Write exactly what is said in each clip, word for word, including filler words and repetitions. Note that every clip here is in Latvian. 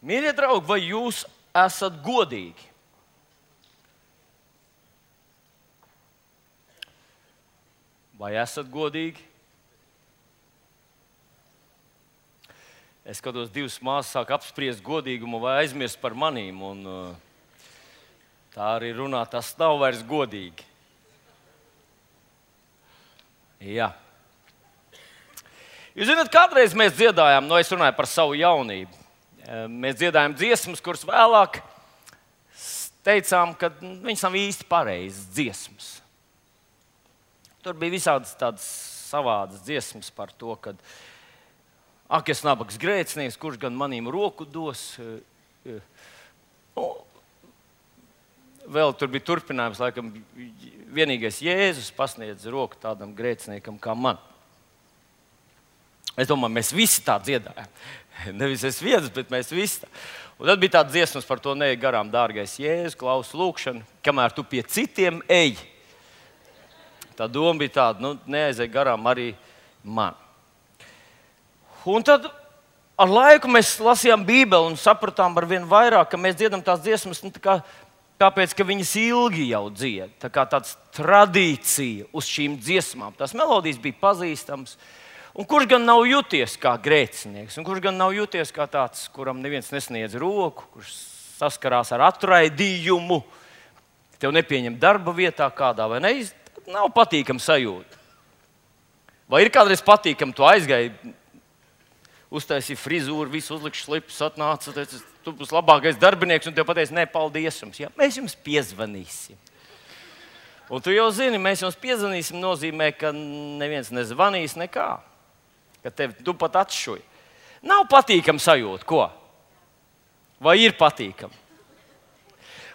Mīļie draugi, vai jūs esat godīgi? Vai esat godīgi? Es skatos, divas māsas sāk apspriest godīgumu vai aizmirst par manīm. Un, tā arī runā, tas nav vairs godīgi. Jā. Jūs zināt, kādreiz mēs dziedājām, no es runāju par savu jaunību. Mēs dziedājām dziesmas, kuras vēlāk teicām, ka viņas nav īsti pareizas dziesmas. Tur bija visādas tādas savādas dziesmas par to, ka ak, es nabags grēcinieks, kurš gan manīm roku dos. Nu, vēl tur bija turpinājums, laikam, vienīgais Jēzus pasniedz roku tādam grēciniekam kā man. Es domāju, mēs visi tā dziedājām. Nevis es viens, bet mēs visi tā. Un tad bija tāds dziesmas par to neej garām, dārgais Jēzus, klausu lūkšanu, kamēr tu pie citiem ej. Tā doma bija tāda, nu, neaizej garām arī man. Un tad ar laiku mēs lasījām Bībeli un sapratām ar vien vairāk, ka mēs dziedam tās dziesmas, nu, tā kā, tāpēc, ka viņas ilgi jau dzied. Tā kā tāds tradīcija uz šīm dziesmām. Tās melodijas bija pazīstamas. Un kurš gan nav juties kā grēcinieks, un kurš gan nav juties kā tāds, kuram neviens nesniedz roku, kurš saskarās ar atraidījumu, tev nepieņem darba vietā kādā, vai ne? Nav patīkama sajūta. Vai ir kādreiz patīkami, tu aizgāji, uztaisīji frizūru, visu uzlikšu slipus, atnāca, teici, tu būsi labākais darbinieks, un tev pateica, ne, paldies jums, ja, mēs jums piezvanīsim. Un tu jau zini, mēs jums piezvanīsim nozīmē, ka neviens nezvanīs nekā. Ka tevi tu pat atšuji. Nav patīkama sajūta, ko? Vai ir patīkama?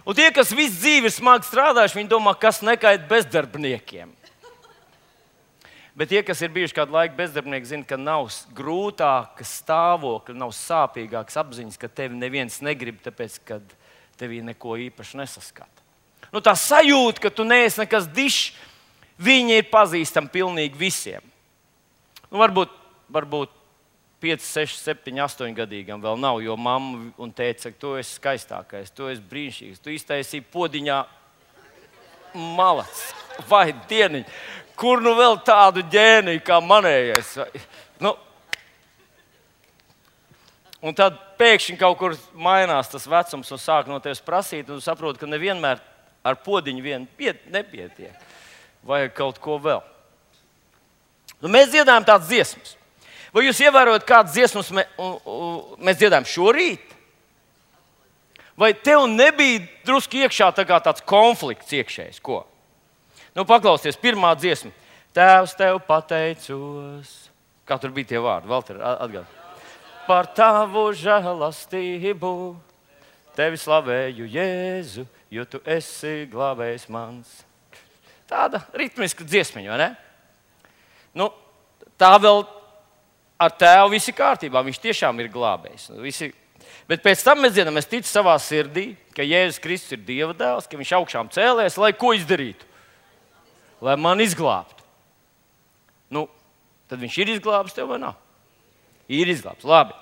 Un tie, kas visu dzīvi ir smagi strādājuši, viņi domā, kas nekait bezdarbniekiem. Bet tie, kas ir bijuši kādu laiku bezdarbnieki, zina, ka nav grūtāka stāvokļa, nav sāpīgākas apziņas, ka tevi neviens negrib, tāpēc, ka tevī neko īpaši nesaskata. Nu, tā sajūta, ka tu neesi nekas dišs, viņi ir pazīstami pilnīgi visiem. Nu, varbūt Varbūt pieci, seši, septiņi, astoņi gadīgam vēl nav, jo mamma un tēta saka, tu esi skaistākais, tu esi brīnišķīgs, tu iztaisīji podiņā malacis vai dieniņu. Kur nu vēl tādu ģēniju kā manējais? Nu. Un tad pēkšņi kaut kur mainās tas vecums un sāk no tevis prasīt, un tu saproti, ka nevienmēr ar podiņu vien piet, nepietiek. Vajag kaut ko vēl. Nu, mēs dziedājam tādas dziesmas. Vai jūs ievērojat, kādas dziesmas mē, un, un, mēs dziedājam šorīt? Vai tev nebija drusku iekšā tā kā tāds konflikts iekšējs? Ko? Nu, paklausieties, pirmā dziesma. Tēvs, tev pateicos. Kā tur bija tie vārdi? Valter, atgād. Par tavu žēlastību. Tevi slavēju, Jēzu, jo tu esi glābējs mans. Tāda ritmiska dziesmiņa, vai ne? Nu, tā vēl ar tēvu viss ir kārtībā. Viņš tiešām ir glābējs. Visi... Bet pēc tam mēs dziedam, es ticu savā sirdī, ka Jēzus Kristus ir Dieva dēls, ka viņš augšām cēlēs, lai ko izdarītu? Lai man izglābtu. Nu, tad viņš ir izglābs tev vai nav? Ir izglābs. Labi.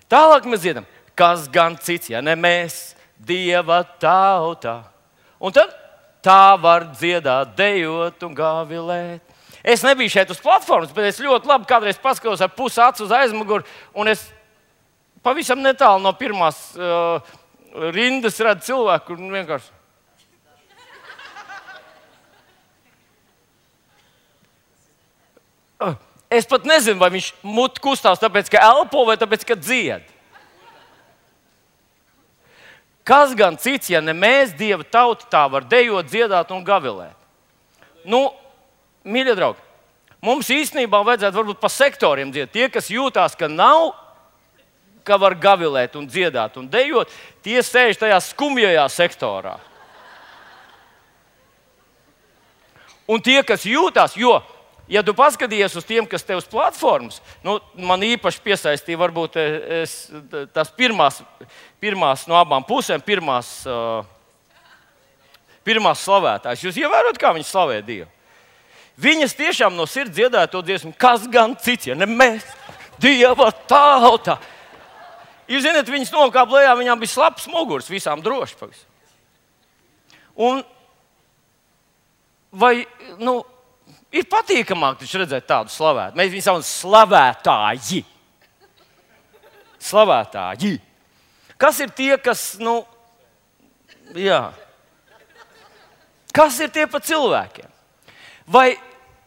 Tālāk mēs dziedam, kas gan cits, ja ne mēs, Dieva tauta. Un tad tā var dziedāt, dejot un gavilēt. Es nebiju šeit uz platformas, bet es ļoti labi kādreiz paskatos ar pusi acu uz aizmuguri, un es pavisam netālu no pirmās uh, rindas redzu cilvēku, kur vienkārši... Uh, es pat nezinu, vai viņš muti kustās tāpēc, ka elpo vai tāpēc, ka dzied. Kas gan cits, ja ne mēs, Dieva tauta, tā var dejot, dziedāt un gavilēt? Nu, mīļie draugi, mums īstenībā vajadzētu varbūt pa sektoriem dziedāt. Tie, kas jūtās, ka nav, ka var gavilēt un dziedāt un dejot, tie sēž tajā skumjajā sektorā. Un tie, kas jūtās, jo, ja tu paskatījies uz tiem, kas tev uz platformas, nu, man īpaši piesaistīja varbūt es, tās pirmās, pirmās no abām pusēm, pirmās, uh, pirmās slavētājs. Jūs ievērot, kā viņi slavē Dievu? Viņas tiešām no sirds dziedāja to dziesmu, kas gan cits, ja ne mēs, Dieva tauta. Jūs zināt, viņas nokāpa lejā, viņām bija slapjas muguras, visām droši. Un vai, nu, ir patīkamāk taču redzēt tādu slavētu. Mēs viņus saucam slavētāji. Slavētāji. Kas ir tie, kas, nu, jā. Kas ir tie pa cilvēkiem? Vai,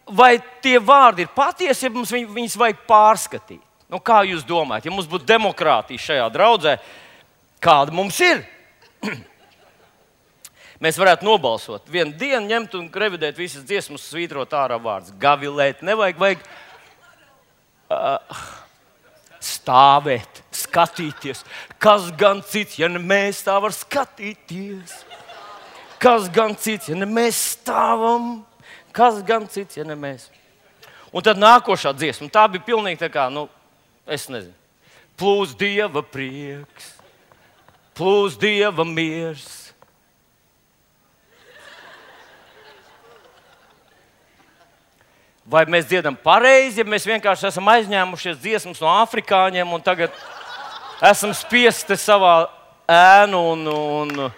vai tie vārdi ir patiesi, ja mums viņ, viņus vajag pārskatīt? Nu, kā jūs domājat, ja mums būtu demokrātija šajā draudzē, kāda mums ir? Mēs varētu nobalsot. Vienu dienu ņemt un revidēt visas dziesmas, svītrot ārā vārdus. Gavilēt, nevajag, vajag uh, stāvēt, skatīties. Kas gan cits, ja ne mēs tā var skatīties? Kas gan cits, ja ne mēs stāvam? Kas gan cits, ja ne mēs? Un tad nākošā dziesma, tā bija pilnīgi tā kā, nu, es nezinu. Plūs Dieva prieks, plūs Dieva miers. Vai mēs dziedam pareizi, ja mēs vienkārši esam aizņēmušies dziesmas no afrikāņiem un tagad esam spiesti savā ēnu un, un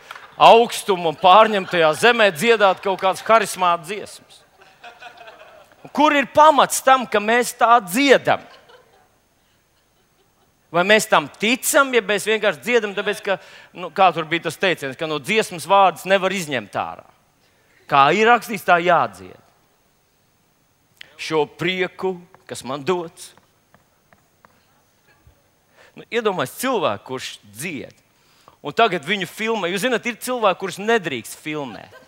augstumu un pārņemtajā zemē dziedāt kaut kādas harismātas dziesmas? Kur ir pamats tam, ka mēs tā dziedam? Vai mēs tam ticam, ja mēs vienkārši dziedam, tāpēc, ka, nu, kā tur bija tas teiciens, ka no dziesmas vārdus nevar izņemt ārā. Kā ir rakstīts, tā jādzied. Šo prieku, kas man dots. Nu, iedomājieties cilvēku, kurš dzied. Un tagad viņu filmē. Jūs zināt, ir cilvēki, kurus nedrīkst filmēt.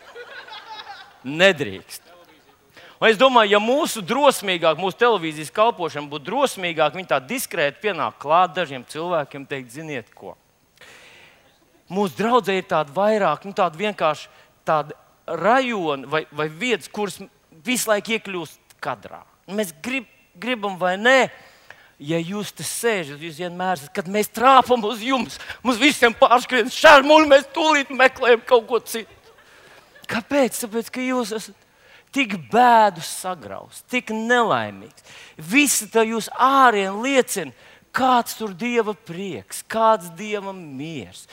Nedrīkst. Un es domāju, ja mūsu drosmīgāk, mūsu televīzijas kalpošana būtu drosmīgāk, viņi tā diskrēti pienāk klāt dažiem cilvēkiem, teikt, ziniet ko. Mūsu draudzē ir tāda vairāk, nu tāda vienkārši tāda rajona vai, vai vietas, kuras visu laiku iekļūst kadrā. Mēs grib, gribam vai nē, ja jūs te sēžat, jūs vienmēr esat, kad mēs trāpam uz jums, mums visiem pārskrien šarmuļi, mēs tūlīt meklējam kaut ko citu. Kāpēc? Tāpēc, ka jūs esat tik bēdus sagraust, tik nelaimīgs. Visi tā jūs ārien liecina, kāds tur Dieva prieks, kāds Dieva miers,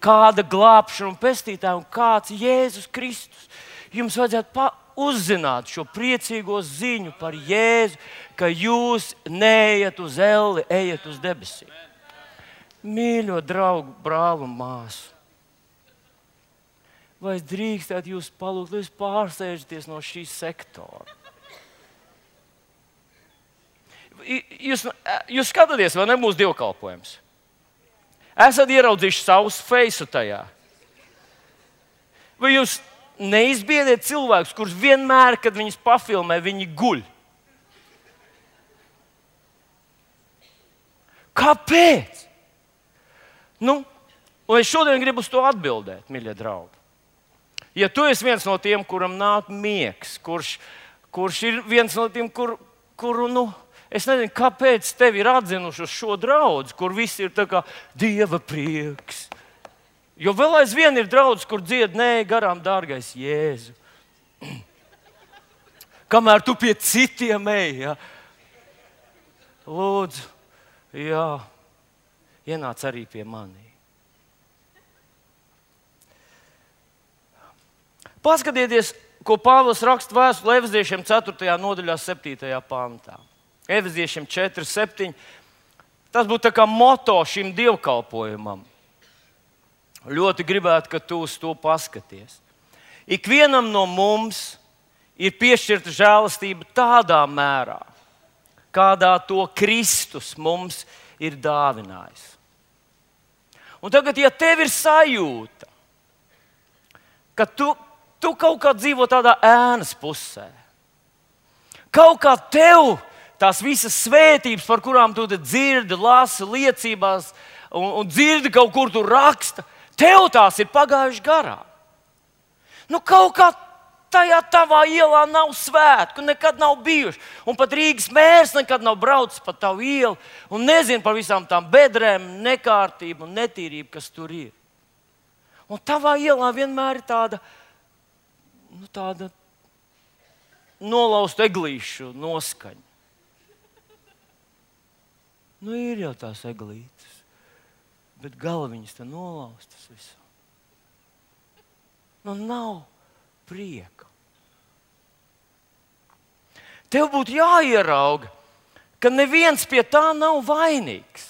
kāda glābšana un pestītāja un kāds Jēzus Kristus. Jums vajadzētu uzzināt šo priecīgo ziņu par Jēzu, ka jūs neejat uz elli, ejat uz debesīm. Mīļo draugu, brāli un māsu. Vai es drīkstētu jūs palūgt, lai jūs pārsēžaties no šī sektora? Jūs, jūs skatāties, vai ne mūsu dievkalpojums? Esat ieraudzījuši savus feisu tajā? Vai jūs neizbiediet cilvēkus, kurus vienmēr, kad viņus pafilmē, viņi guļ? Kāpēc? Nu, un es šodien gribu uz to atbildēt, mīļie draugi. Ja tu esi viens no tiem, kuram nāk miegs, kurš, kurš ir viens no tiem, kur, kuru, nu, es nezinu, kāpēc tevi ir atzinuši uz šo draudzi, kur viss ir tā kā Dieva prieks. Jo vēl aizvien ir draudz, kur dzied, nē, garām, dārgais Jēzu. Kamēr tu pie citiem ej, ja? Lūdzu, jā, ienāc arī pie manī. Paskatieties, ko Pāvils raksta vēstulē Efeziešiem ceturtajā nodaļā, septītajā pantā. Efeziešiem četri, septiņi. Tas būtu tā kā moto šim dievkalpojumam. Ļoti gribētu, ka tu uz to paskaties. Ikvienam no mums ir piešķirta žēlastība tādā mērā, kādā to Kristus mums ir dāvinājis. Un tagad, ja tev ir sajūta, ka tu Tu kaut kā dzīvo tādā ēnas pusē. Kaut kā tev tās visas svētības, par kurām tu dzirdi, lasi liecībās un, un dzirdi kaut kur tur raksta, tev tās ir pagājušas garām. Nu, kaut kā tajā tavā ielā nav svētku, nekad nav bijuši. Un pat Rīgas mērs nekad nav braucis pa tavu ielu un nezina par visām tām bedrēm, nekārtību un netīrību, kas tur ir. Un tavā ielā vienmēr ir tāda Nu, tāda nolausta eglīšu noskaņa. Nu, ir jau tās eglītes. bet galviņas te nolaustas visā. Nu, nav prieka. Tev būtu jāierauga, ka neviens pie tā nav vainīgs.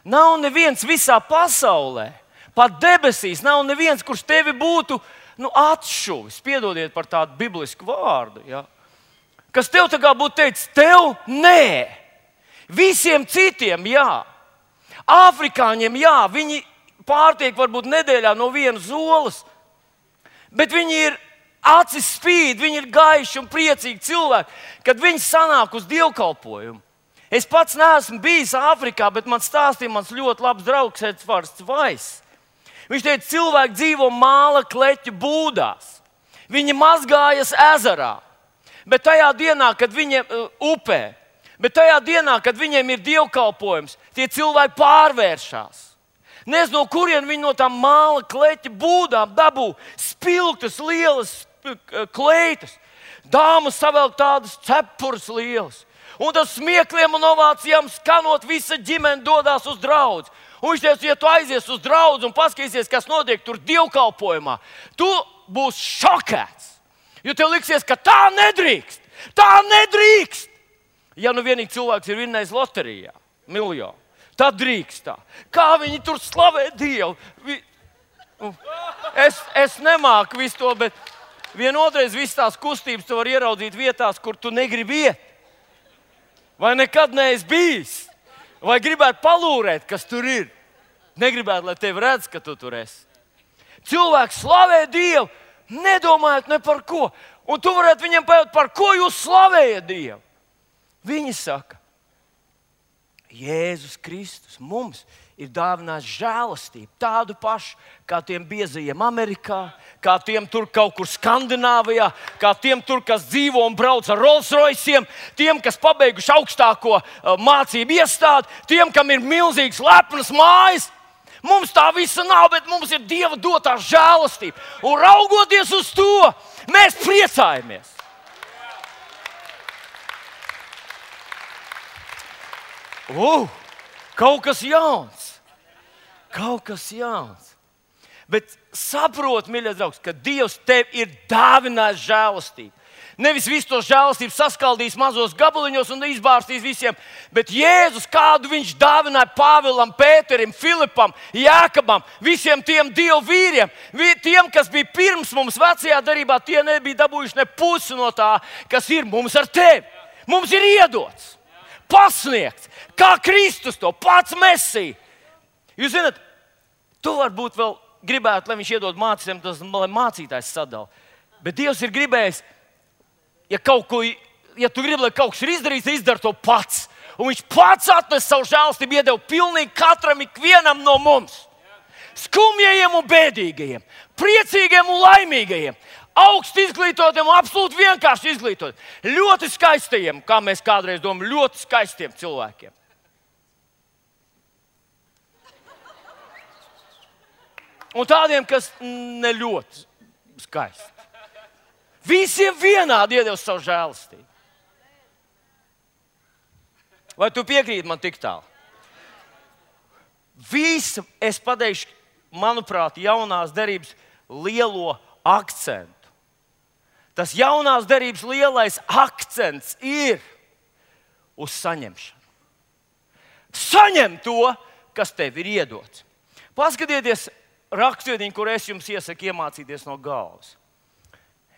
Nav neviens visā pasaulē, pat debesīs, nav neviens, kurš tevi būtu nu, atšuvis. Piedodiet par tādu biblisku vārdu. Ja? Kas tev tā kā būtu teicis, tev nē. Visiem citiem jā. Āfrikāņiem jā, viņi pārtiek varbūt nedēļā no vienas olas, bet viņi ir acis spīd, viņi ir gaiši un priecīgi cilvēki, kad viņi sanāk uz dievkalpojumu. Es pats neesmu bijis Āfrikā, bet man stāstīja mans ļoti labs draugs Edvards Vais. Viņš teica, cilvēki dzīvo māla kleķu būdās. Viņi mazgājas ezerā, bet tajā dienā, kad viņiem uh, upē, bet tajā dienā, kad viņiem ir dievkalpojums, tie cilvēki pārvēršas. Nezinu, no kurien viņi no tām māla kleķa būdām dabū spilgtas, lielas kleitas. Dāmas savelk tādas cepures lielas. Un tas smiekliem un ovācijām skanot, visa ģimene dodās uz draudzi. Un viņš teica, ja tu aizies uz draudzi un paskatīsies, kas notiek tur dievkalpojumā, tu būsi šokēts. Jo tev liksies, ka tā nedrīkst. Tā nedrīkst. Ja nu vienīgi cilvēks ir vinnējis loterijā, miljonu. Tad drīkst tā. Kā viņi tur slavē Dievu. Vi... Es, es nemāku visu to, bet vienotreiz visas tās kustības tu var ieraudzīt vietās, kur tu negribi iet. Vai nekad neesi bijis. Vai gribētu palūrēt, kas tur ir. Negribētu, lai tevi redz, ka tu tur esi. Cilvēks slavē Dievu, nedomājot ne par ko. Un tu varētu viņiem pajautāt, par ko jūs slavējat Dievu. Viņi saka, Jēzus Kristus mums ir dāvinājis žēlastību, tādu pašu kā tiem biezajiem Amerikā, kā tiem tur kaut kur Skandināvijā, kā tiem tur, kas dzīvo un brauc ar Rolls Royciem, tiem, kas pabeiguši augstāko uh, mācību iestādi, tiem, kam ir milzīgs lepnas mājas. Mums tā visa nav, bet mums ir Dieva dotā žēlastība. Un raugoties uz to, mēs priecājamies. Uh, kaut kas jauns. Kaut kas jauns. Bet saprot, mīļais draugs, ka Dievs tev ir dāvinājis žēlastību. Nevis visu to žēlastību saskaldīs mazos gabaliņos un izbārstīs visiem, bet Jēzus, kādu viņš dāvināja Pāvilam, Pēterim, Filipam, Jākabam, visiem tiem Dievu vīriem, tiem, kas bija pirms mums vecajā darībā, tie nebija dabūjuši ne pusi no tā, kas ir mums ar tevi. Mums ir iedots, pasniegts, kā Kristus to pats Mesija. Jūs zināt, tu varbūt vēl gribētu, lai viņš iedod mācītājiem, tas, lai mācītājs sadala. Bet Dievs ir gribējis, ja, kaut ko, ja tu gribi, lai kaut kas ir izdarīts, izdara to pats. Un viņš pats atnes savu žēlastību, iedeva pilnīgi katram, ikvienam no mums. Skumjajiem un bēdīgajiem, priecīgiem un laimīgajiem, augsti izglītotiem un absolūti vienkārši izglītotiem, ļoti skaistajiem, kā mēs kādreiz domājam, ļoti skaistiem cilvēkiem. Un tādiem, kas ne ļoti skaisti. Visiem vienādi iedevis savu žēlastību. Vai tu piekrīti man tik tālu? Visu es pateikšu, manuprāt, jaunās derības lielo akcentu. Tas jaunās derības lielais akcents ir uz saņemšanu. Saņem to, kas tev ir iedots. Paskatieties rakstvietiņu, kur es jums iesaku iemācīties no galvas.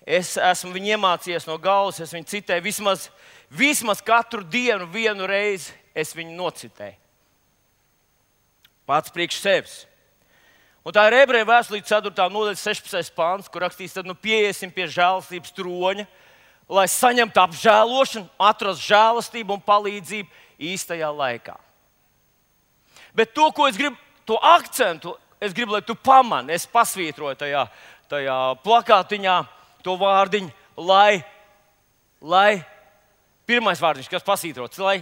Es esmu viņu iemācījies no galvas, es viņu citēju vismaz, vismaz katru dienu, vienu reizi es viņu nocitēju. Pats priekš sevis. Un tā ir Ebreju vēstule ceturtā nodaļa sešpadsmitais pāns, kur rakstīts, tad nu pieiesim pie žēlastības troņa, lai saņemtu apžēlošanu, atrastu žēlastību un palīdzību īstajā laikā. Bet to, ko es gribu, to akcentu, es gribu, lai tu pamani, es pasvītroju tajā, tajā plakātiņā to vārdiņu, lai, lai, pirmais vārdiņš, kas pasvītrots, lai,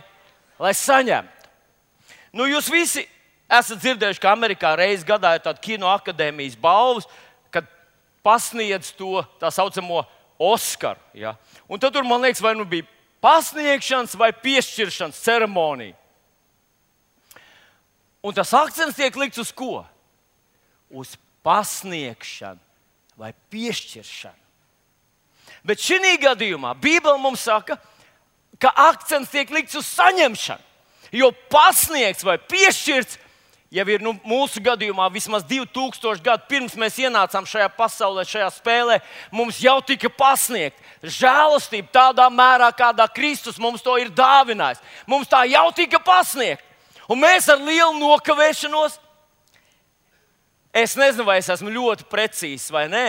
lai saņemtu. Nu, jūs visi esat dzirdējuši, ka Amerikā reiz gadā ir tāda kinoakadēmijas balvas, kad pasniedz to tā saucamo Oskaru. Ja? Un tad tur, man liekas, vai nu bija pasniegšanas vai piešķiršanas ceremonija. Un tas akcents tiek likts uz ko? Uz pasniegšanu vai piešķiršanu. Bet šī gadījumā Bībele mums saka, ka akcents tiek likts uz saņemšanu. Jo pasniegts vai piešķirts jau ir nu, mūsu gadījumā vismaz divi tūkstoši gadu pirms mēs ienācām šajā pasaulē, šajā spēlē, mums jau tika pasniegta žēlastība tādā mērā, kādā Kristus mums to ir dāvinājis. Mums tā jau tika pasniegta. Un mēs ar lielu nokavēšanos, es nezinu, vai es esmu ļoti precīzs vai nē,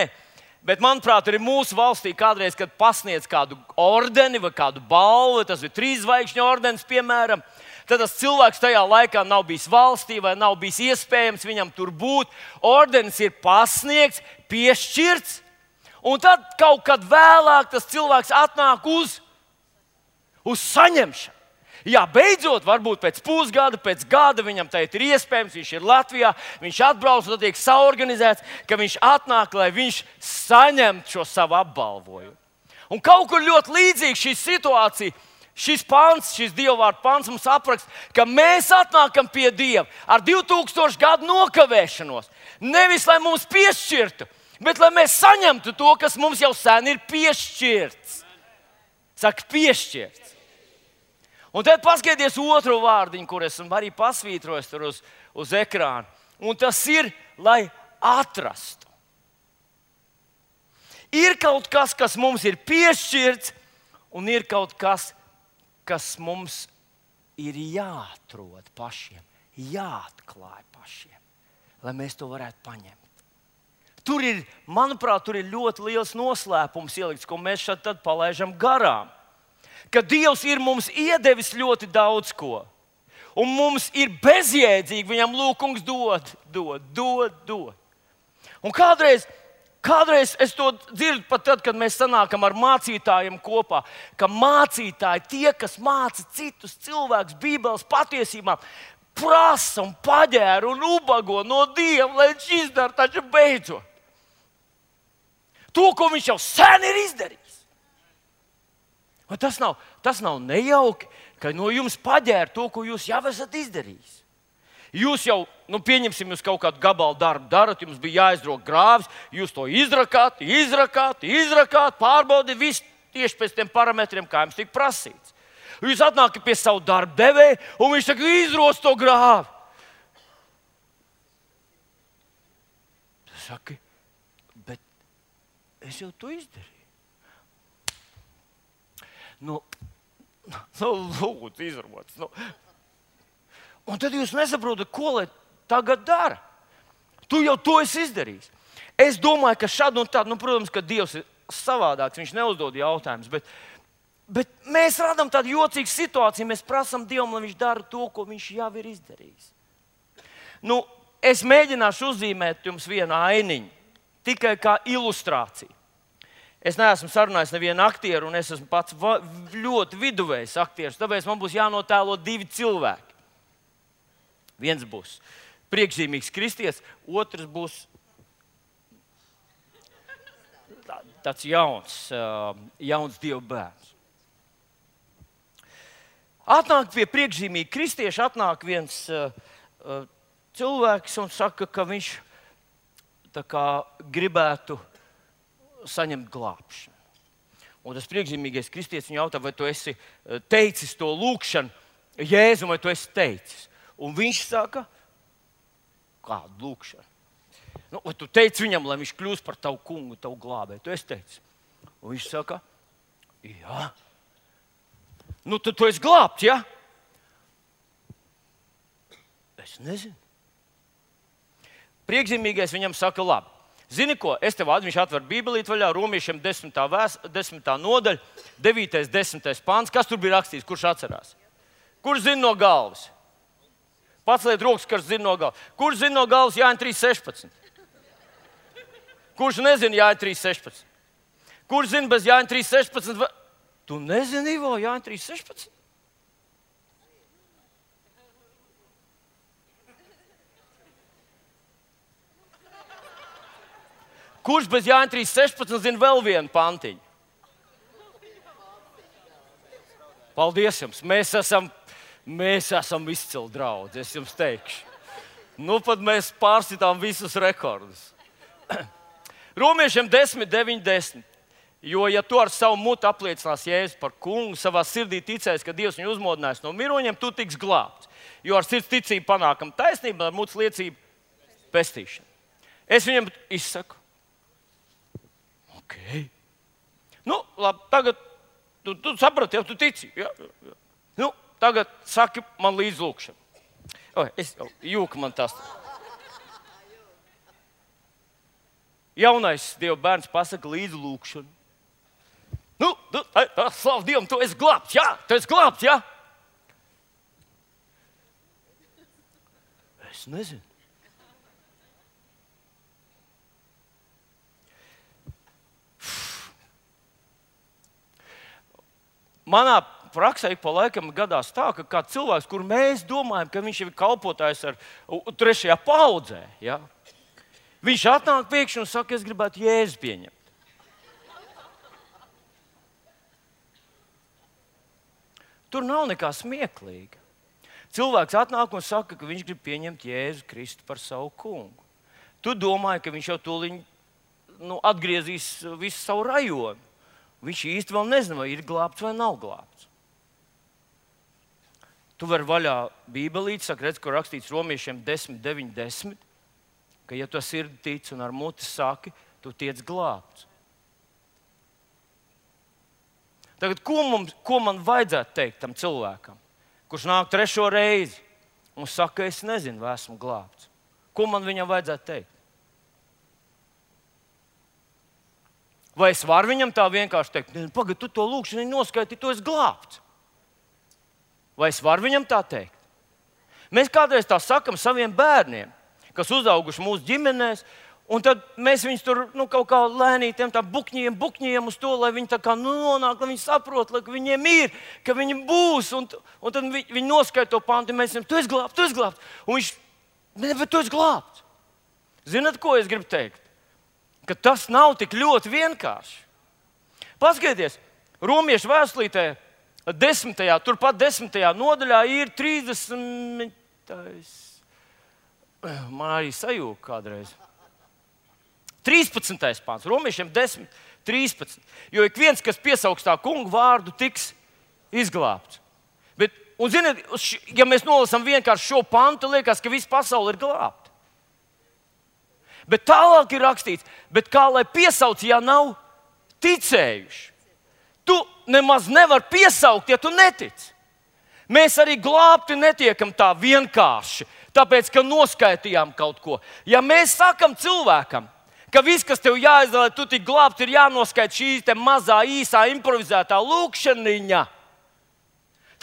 bet manuprāt, arī mūsu valstī kādreiz, kad pasniedz kādu ordeni vai kādu balvu, tas ir trīs zvaigžņu ordenis, piemēram, tad tas cilvēks tajā laikā nav bijis valstī vai nav bijis iespējams viņam tur būt. Ordenis ir pasniegts, piešķirts, un tad kaut kad vēlāk tas cilvēks atnāk uz, uz saņemšanu. Jā, beidzot, varbūt pēc pusgada, pēc gada viņam tā ir iespējams, viņš ir Latvijā, viņš atbrauc un tiek saorganizēts, ka viņš atnāk, lai viņš saņemtu šo savu apbalvojumu. Un kaut kur ļoti līdzīga šī situācija. Šis pants, šis dievvvārdu pants mums apraksta, ka mēs atnākam pie Dieva ar divu tūkstošu gadu nokavēšanos. Nevis, lai mums piešķirtu, bet lai mēs saņemtu to, kas mums jau sen ir piešķirts. Saka, piešķirts. Un tad paskaties otru vārdiņu, kur esmu arī pasvītrojis tur uz, uz ekrāna. Un tas ir, lai atrastu. Ir kaut kas, kas mums ir piešķirts, un ir kaut kas, kas mums ir jāatrod pašiem, jāatklāj pašiem, lai mēs to varētu paņemt. Tur ir, manuprāt, tur ir ļoti liels noslēpums ielikts, ko mēs šeit tad palaidām garām. Ka Dievs ir mums iedevis ļoti daudz ko, un mums ir bezjēdzīgi viņam lūgums dod, dod, dod, dod. Un kādreiz Kādreiz es to dzirdu pat tad, kad mēs sanākam ar mācītājiem kopā, ka mācītāji, tie, kas māca citus cilvēkus Bībeles patiesībām, prasa un paģēra un ubago no Dieva, lai viņš izdara taču beidzot to, ko viņš jau sen ir izdarījis. Vai tas nav, tas nav nejauki, ka no jums paģēra to, ko jūs jau esat izdarījis? Jūs jau, nu, pieņemsim, jūs kaut kādu gabalu darbu darat, jums bija jāizdrok grāvis, jūs to izrakāt, izrakāt, izrakāt, pārbaudīt visu tieši pēc tiem parametriem, kā jums tika prasīts. Jūs atnākat pie savu darbu devēju, un viņš saka, izros to grāvi. Tas saka, bet es jau to izdarīju. Nu, nu lūdzu, izrots. Nu. Un tad jūs nesaprotat, ko lai tagad dara. Tu jau to esi izdarījis. Es domāju, ka šādi un tādi, nu, protams, ka Dievs ir savādāks, viņš neuzdod jautājumus, bet, bet mēs radām tādu jocīgu situāciju, mēs prasām Dievam, lai viņš dara to, ko viņš jau ir izdarījis. Nu, es mēģināšu uzzīmēt jums vienu ainiņu, tikai kā ilustrāciju. Es neesmu sarunājis nevienu aktieru, un es esmu pats ļoti viduvējs aktieris, tāpēc man būs jānotēlo divi cilvēki. Viens būs priekšzīmīgs kristietis, otrs būs tāds jauns, jauns Dieva bērns. Atnāk pie priekšzīmīga kristieša, atnāk viens cilvēks un saka, ka viņš tā kā gribētu saņemt glābšanu. Un tas priekšzīmīgais kristietis viņu jautā, vai tu esi teicis to lūgšanu Jēzum, vai tu esi teicis. Un viņš saka, kādu lūgšanu? Nu, vai tu teici viņam, lai viņš kļūst par tavu kungu, tavu glābēju? Tu esi teicis. Un viņš saka, jā. Nu, tad tu esi glābts, jā? Es nezinu. Priekšzīmīgais viņam saka, labi. Zini ko, es tev atveru, viņš atver Bībelīti vaļā, Romiešiem desmitā, vēs, desmitā nodaļa, devītais, desmitais pāns. Kas tur bija rakstīts, kurš atcerās? Kurš zina no galvas? Pats liet rokas, kas zina no galvas. Kurš zina no galvas Jāņa trīs sešpadsmit? Kurš nezina Jāņa trīs sešpadsmit? Kurš zina bez Jāņa trīs sešpadsmit? Tu nezini, Ivo, Jāņa trīs sešpadsmit? Kurš bez Jāņa trīs sešpadsmit zina vēl vienu pantiņu? Paldies jums! Mēs esam, mēs esam izcili draudzi, es jums teikšu. Nu, pat mēs pārsitām visus rekordus. Romiešiem desmit, deviņi, desmit. Jo, ja tu ar savu mutu apliecinās Jēzu par kungu, savā sirdī ticēs, ka Dievs viņu uzmodinās no miroņiem, tu tiks glābts. Jo ar sirds ticību panākam taisnību, ar mutes liecību pestīšanu. Es viņam izsaku. Ok. Nu, labi, tagad tu, tu saprati, jau tu tici. Jā, jā. Nu, tagad saki man līdz lūkšanu. O, es jau jūku man tas. Jaunais Dieva bērns pasaka līdz lūkšanu. Nu, nu, tā, tā, slavu Dievam, tu esi glābts, jā, tu esi glābts, jā. Es nezinu. Manā praksē pa laikam gadās tā, ka kāds cilvēks, kur mēs domājam, ka viņš ir kalpotājs ar trešajā paudzē, ja? Viņš atnāk pēkšņi un saka, es gribētu Jēzu pieņemt. Tur nav nekā smieklīga. Cilvēks atnāk un saka, ka viņš grib pieņemt Jēzu Kristu par savu kungu. Tu domāji, ka viņš jau tūliņ nu, atgriezīs visu savu rajonu. Viņš īsti vēl nezina, vai ir glābts vai nav glābts. Tu vari vaļā Bībelīti, saka, redz, kur rakstīts Romiešiem desmit, deviņi, desmit, ka, ja tu sirdi tic un ar muti saki, tu tiec glābts. Tagad, ko, mums, ko man vajadzētu teikt tam cilvēkam, kurš nāk trešo reizi un saka, es nezinu, vai esmu glābts? Ko man viņam vajadzētu teikt? Vai es varu viņam tā vienkārši teikt, pagad, tu to lūkšanu noskaiti, tu esi glābts? Vai es varu viņam tā teikt? Mēs kādreiz tā sakam saviem bērniem, kas uzauguši mūsu ģimenēs, un tad mēs viņus tur nu, kaut kā lēnītiem tā bukņiem, bukņiem uz to, lai viņi tā kā nu, nonāk, lai viņi saprot, lai viņiem ir, ka viņi būs, un, un tad viņi, viņi noskaita to pantu, un mēs viņam, tu esi glābts, tu esi glābts. Un viņš, ne, bet tu esi glābts. Zinat, ko es gribu teikt? Ka tas nav tik ļoti vienkārši. Paskatieties, Romiešu vēstulītē desmitajā, turpat desmitajā nodaļā ir trīsdesmitais. Man arī sajūta kādreiz. trīspadsmitais pāns, Romiešiem desmit, trīspadsmit. Jo ik viens, kas piesaugs tā kungu vārdu, tiks izglābts. Bet, un ziniet, ja mēs nolasām vienkārši šo pantu, liekas, ka visa pasaule ir glābta. Bet tālāk ir rakstīts, bet kā lai piesauc, ja nav ticējuši? Tu nemaz nevar piesaukt, ja tu netici. Mēs arī glābti netiekam tā vienkārši, tāpēc, ka noskaitījām kaut ko. Ja mēs sakam cilvēkam, ka viss, kas tev jāizdara, lai tu tik glābts, ir jānoskaita šī te mazā, īsā, improvizētā lūkšaniņa,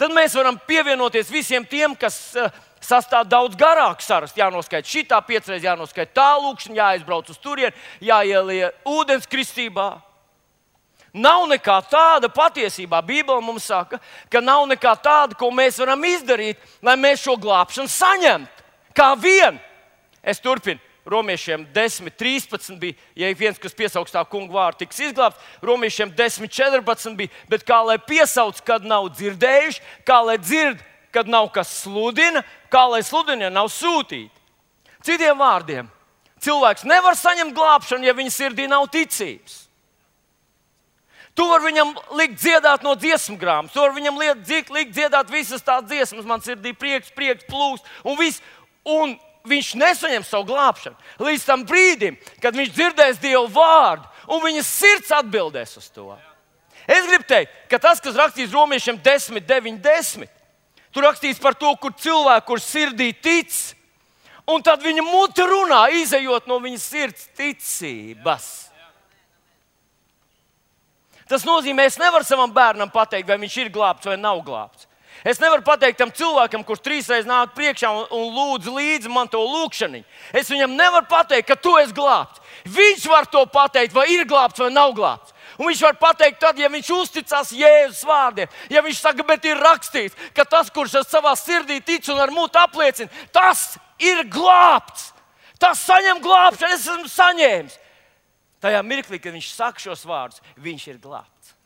tad mēs varam pievienoties visiem tiem, kas uh, sastāv daudz garāku sarakstu. Jānoskaita šitā piecreiz, jānoskaita tā lūkšana, jāizbrauc uz turieni, jāielie ūdens kristībā. Nav nekā tāda patiesībā. Bībele mums saka, ka nav nekā tāda, ko mēs varam izdarīt, lai mēs šo glābšanu saņemtu. Kā vien. Es turpinu. Romiešiem desmit, trīspadsmit bija, ja viens, kas piesauks tā kungu vārdu, tiks izglābts. Romiešiem desmit, četrpadsmit bija, bet kā lai piesauc, kad nav dzirdējuši, kā lai dzird, kad nav kas sludina, kā lai sludina, ja nav sūtīti. Citiem vārdiem, cilvēks nevar saņemt glābšanu, ja viņa sirdī nav ticības. Tu vari viņam likt dziedāt no dziesmu grāmatas, tu vari viņam likt, likt dziedāt visas tās dziesmas, man sirdī prieks, prieks, plūst un viss. Un viņš nesaņem savu glābšanu līdz tam brīdim, kad viņš dzirdēs Dievu vārdu un viņa sirds atbildēs uz to. Es gribu teikt, ka tas, kas rakstīts Romiešiem desmit, deviņi, desmit, tur rakstīts par to, kur cilvēku, kur sirdī tic, un tad viņa muti runā, izejot no viņa sirds ticības. Tas nozīmē, es nevaru savam bērnam pateikt, vai viņš ir glābts vai nav glābts. Es nevaru pateikt tam cilvēkam, kurš trīsreiz nāk priekšā un, un lūdz līdzi man to lūkšaniņu. Es viņam nevaru pateikt, ka tu esi glābts. Viņš var to pateikt, vai ir glābts vai nav glābts. Un viņš var pateikt tad, ja viņš uzticās Jēzus vārdiem. Ja viņš saka, bet ir rakstīts, ka tas, kurš savā sirdī tic un ar muti apliecina, tas ir glābts. Tas saņem glābšanu, es esmu saņēmis. Tajā mirklī, kad viņš saka šos vārdus, viņš ir glābts.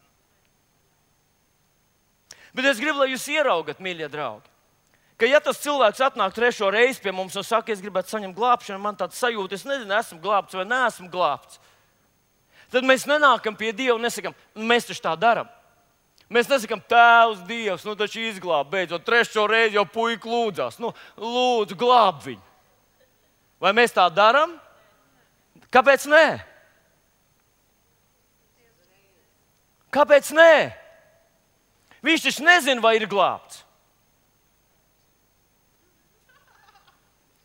Bet es gribu, lai jūs ieraugat, mīļie draugi, ka ja tas cilvēks atnāk trešo reizi pie mums un saka, es gribētu saņemt glābšanu, man tāds sajūta, es nezinu, esmu glābts vai neesmu glābts. Tad mēs nenākam pie Dieva un nesakam, mēs taču tā darām. Mēs nesakām, Tēvs, Dievs, nu taču izglāb, beidzot, trešo reizi jau puika lūdzās. Nu, lūdzu, glāb viņu. Vai mēs tā darām? Kāpēc nē? Kāpēc nē? Viņš taču nezina, vai ir glābts.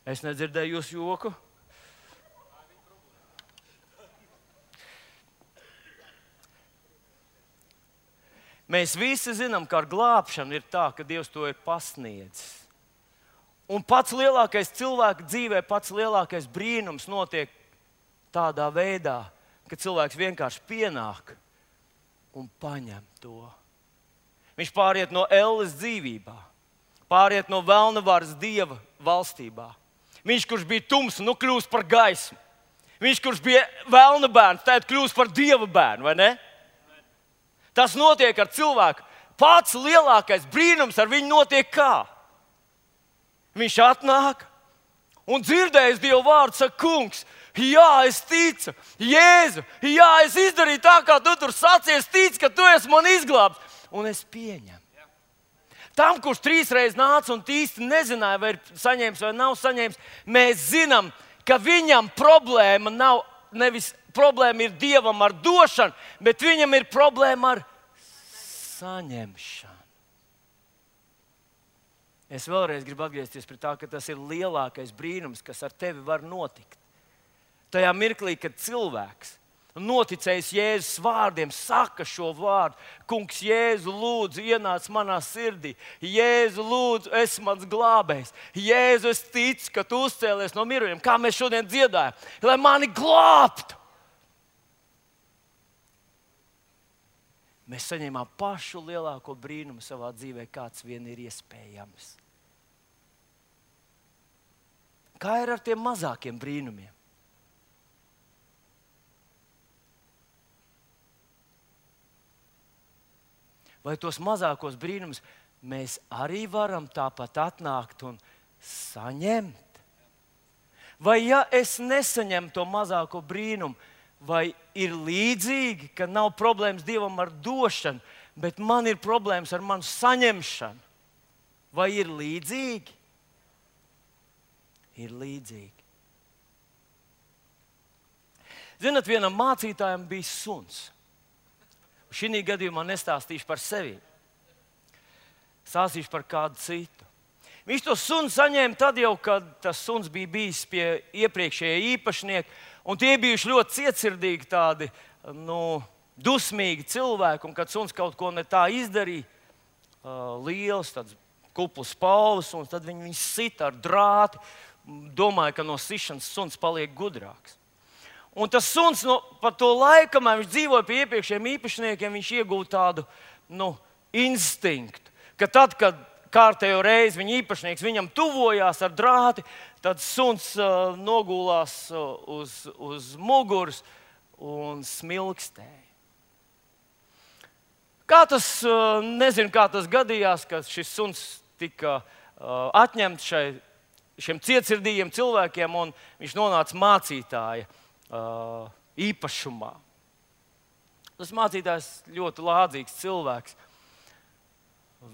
Es nedzirdēju jūsu joku. Mēs visi zinām, ka ar glābšanu ir tā, ka Dievs to ir pasniedzis. Un pats lielākais cilvēka dzīvē, pats lielākais brīnums notiek tādā veidā, ka cilvēks vienkārši pienāk un paņem to. Viņš pāriet no elles dzīvībā, pāriet no velna varas Dieva valstībā. Viņš, kurš bija tums, nu kļūst par gaismu. Viņš, kurš bija velna bērns, tad kļūst par Dieva bērnu, vai ne? Tas notiek ar cilvēku. Pats lielākais brīnums ar viņu notiek kā? Viņš atnāk un dzirdējis Dieva vārdu, saka, kungs, jā, es ticu, Jēzu, jā, es izdarīju tā, kā tu tur sacīji, es ticu, ka tu esi man izglābs, un es pieņemu. Tam, kurš trīsreiz nāca un īsti nezināja, vai ir saņēmis vai nav saņēmis, mēs zinām, ka viņam problēma nav nevis problēma ir Dievam ar došanu, bet viņam ir problēma ar saņemšanu. Es vēlreiz gribu atgriezties pie tā, ka tas ir lielākais brīnums, kas ar tevi var notikt. Tajā mirklī, kad cilvēks noticējis Jēzus vārdiem, saka šo vārdu, kungs, Jēzu, lūdzu, ienāc manā sirdī. Jēzu, lūdzu, esi mans glābējs. Jēzu, es ticu, ka tu uzcēlies no mirušajiem, kā mēs šodien dziedājam, lai mani glābtu. Mēs saņēmām pašu lielāko brīnumu savā dzīvē, kāds vien ir iespējams. Kā ir ar tiem mazākiem brīnumiem? Vai tos mazākos brīnumus mēs arī varam tāpat atnākt un saņemt? Vai ja es nesaņemu to mazāko brīnumu, vai ir līdzīgi, ka nav problēmas Dievam ar došanu, bet man ir problēmas ar manu saņemšanu? Vai ir līdzīgi? Ir līdzīgi. Zinat, vienam mācītājam bija suns. Šī gadījumā nestāstīšu par sevi. Stāstīšu par kādu citu. Viņš to sunu saņēma tad jau, kad tas suns bija bijis pie iepriekšējā īpašnieka. Un tie bijuši ļoti cietsirdīgi, tādi nu, dusmīgi cilvēki. Un, kad suns kaut ko ne tā izdarīja, uh, liels, tāds kupls pauvs, un tad viņi viņu sita ar drāti. Domāja, ka no sišanas suns paliek gudrāks. Un tas suns no, pa to laiku, kamēr viņš dzīvoja pie iepriekšējiem īpašniekiem, viņš iegūta tādu nu, instinktu, ka tad, kad kārtējo reizi viņa īpašnieks viņam tuvojās ar drāti, tad suns uh, nogulās uh, uz, uz muguras un smilkstēja. Kā tas, uh, nezinu, kā tas gadījās, ka šis suns tika uh, atņemts šai, šiem cietsirdīgiem cilvēkiem, un viņš nonāca mācītāja uh, īpašumā. Tas mācītājs ļoti lādzīgs cilvēks.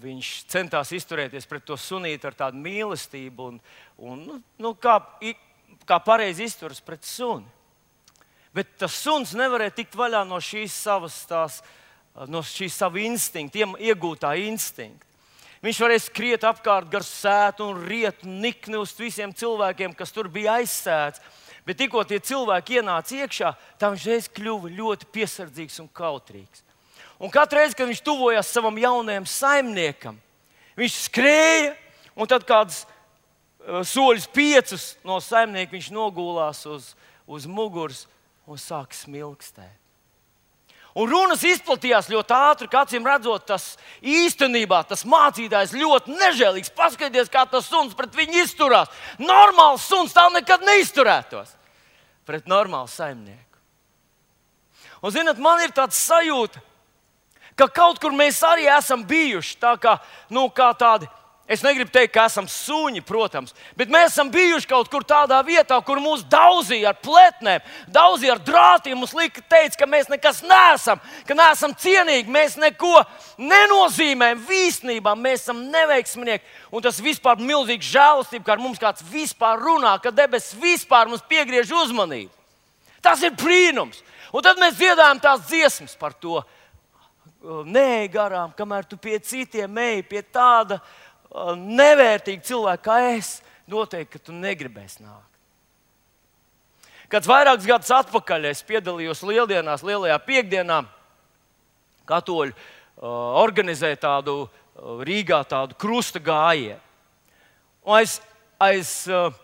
Viņš centās izturēties pret to sunīti ar tādu mīlestību, un, un nu, nu, kā, kā pareizi izturas pret suni. Bet tas suns nevarēja tikt vaļā no šīs savas, tās, no šīs sava instinkta, iegūtā instinkta. Viņš varēja skriet apkārt gar sētu un riet un nikni uz visiem cilvēkiem, kas tur bija aizsēts. Bet tikko tie cilvēki ienāca iekšā, tā viņš reiz kļuva ļoti piesardzīgs un kautrīgs. Un katru reizi, kad viņš tuvojās savam jaunajam saimniekam, viņš skrēja, un tad kādus uh, soļus piecus no saimnieka viņš nogulās uz, uz muguras un sāka smilkstēt. Un runas izplatījās ļoti ātri, ka acīm redzot, tas īstenībā tas mācītājs ļoti nežēlīgs. Paskaties, kā tas suns pret viņu izturās. Normāls suns tā nekad neizturētos pret normālu saimnieku. Un, zināt, man ir tāds sajūta, ka kaut kur mēs arī esam bijuši tā kā, nu, kā tādi Es negribu teikt, ka esam suņi, protams, bet mēs esam bijuši kaut kur tādā vietā, kur mūs daudzīja ar pletnēm, daudzīja ar drātiem. Mums lika teikt, ka mēs nekas neesam, ka neesam cienīgi, mēs neko nenozīmējam īstenībā, mēs esam neveiksminieki. Un tas vispār milzīgs žēlastība, ka ar mums kāds vispār runā, ka debesis vispār mums piegriež uzmanību. Tas ir brīnums. Un tad mēs dziedājam tās dziesmas par to. Nē, garām, kamēr tu pie citiem ej, pie tāda nevērtīgi cilvēki kā es, noteikti, ka tu negribēsi nākt. Kāds vairākus gadus atpakaļ es piedalījos Lieldienās, Lielajā piekdienā. Katoļi uh, organizēja tādu uh, Rīgā tādu krusta gājienu. Un aiz, aiz uh,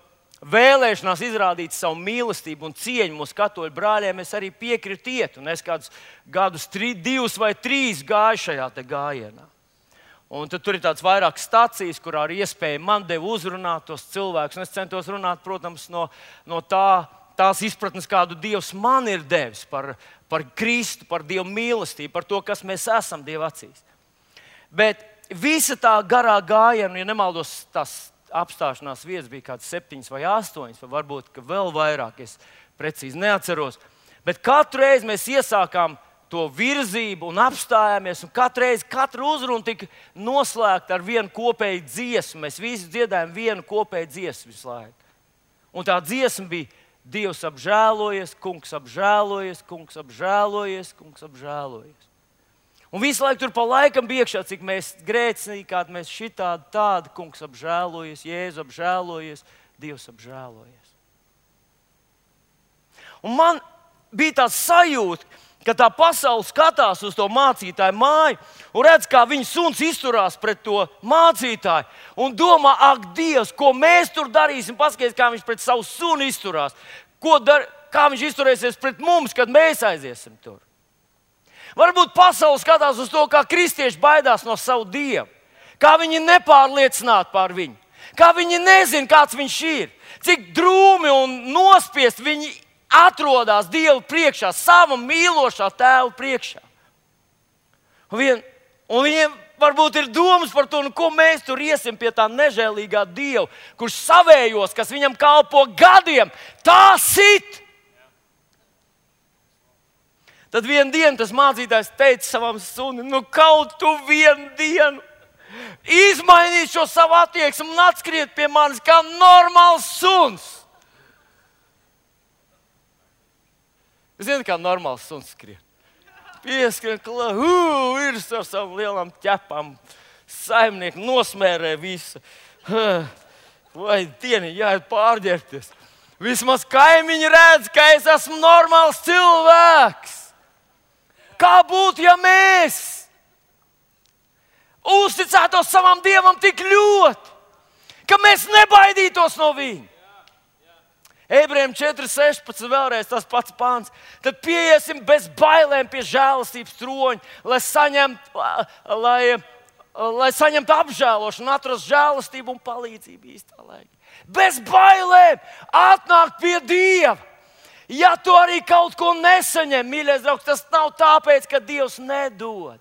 vēlēšanās izrādīt savu mīlestību un cieņu mūsu katoļu brāļiem, es arī piekritu iet. Un es kādus gadus, tri, divus vai trīs gāju šajā te gājienā. Un tad tur ir tāds vairākas stācijas, kurā ar iespēju man deva uzrunāt tos cilvēkus. Un es centos runāt, protams, no, no tā, tās izpratnes, kādu Dievs man ir devis par, par Kristu, par Dieva mīlestību, par to, kas mēs esam Dieva acīs. Bet visa tā garā gājiena, ja nemaldos, tās apstāšanās vietas bija kādas septiņas vai astoņas, vai varbūt vēl vairāk, es precīzi neatceros. Bet katru reizi mēs iesākām to virzību un apstājāmies, un katru reizi, katru uzrunu tika noslēgta ar vienu kopēju dziesmu. Mēs visi dziedājām vienu kopēju dziesmu visu laiku. Un tā dziesma bija: Dievs apžēlojies, kungs apžēlojies, kungs apžēlojies, kungs apžēlojies. Un visu laiku tur pa laikam bija iekšā, cik mēs grēcīgi, kādi mēs šitādi tādi, kungs apžēlojies, Jēzu apžēlojies, Dievs apžēlojies. Un man bija tāds sajūta, ka tā pasaule skatās uz to mācītāju māju un redz, kā viņa suns izturās pret to mācītāju. Un domā, ak, Dievs, ko mēs tur darīsim? Paskaties, kā viņš pret savu sunu izturās. Ko dar, kā viņš izturēsies pret mums, kad mēs aiziesim tur? Varbūt pasaule skatās uz to, kā kristieši baidās no savu Dievu. Kā viņi nepārliecināti par viņu. Kā viņi nezina, kāds viņš ir. Cik drūmi un nospiest viņi atrodas Dievu priekšā, sava mīlošā tēva priekšā. Un, vien, un viņiem varbūt ir domas par to, nu, ko mēs tur iesim pie tā nežēlīgā Dieva, kurš savējos, kas viņam kalpo gadiem, tā sit. Tad vienu dienu tas mācītājs teica savam sunim, nu kaut tu vienu dienu izmainīt šo savu attieksmi un atskriet pie manis kā normāls suns. Zini, kā normāls suns skrien. Pieskrien, klāt, uh, ir ar savām lielām ķepām. Saimnieki nosmērē visu. Vai dieni, jāiet pārģērbties. Vismaz kaimiņi redz, ka es esmu normāls cilvēks. Kā būtu, ja mēs uzticētos savam Dievam tik ļoti, ka mēs nebaidītos no viņa? Ebrejiem četri sešpadsmit vēlreiz tas pats pāns. Tad pieiesim bez bailēm pie žēlastības troņa, lai saņemtu, lai, lai saņemtu apžēlošanu, atrastu žēlastību un palīdzību īstā laikā. Bez bailēm atnākt pie Dieva. Ja tu arī kaut ko nesaņem, mīļais draugs, tas nav tāpēc, ka Dievs nedod.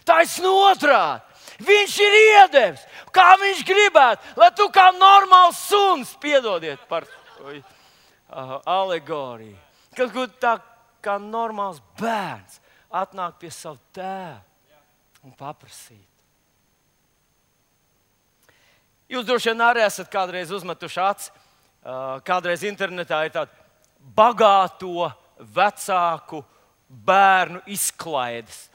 Taisn otrādi. Viņš ir iedevis, kā viņš gribētu, lai tu kā normāls suns, piedodiet par to alegoriju, kad tā kā normāls bērns atnāk pie savu tēvu un paprasīt. Jūs droši vien arī esat kādreiz uzmetuši aci, kādreiz internetā ir tāda bagāto vecāku bērnu izklaides.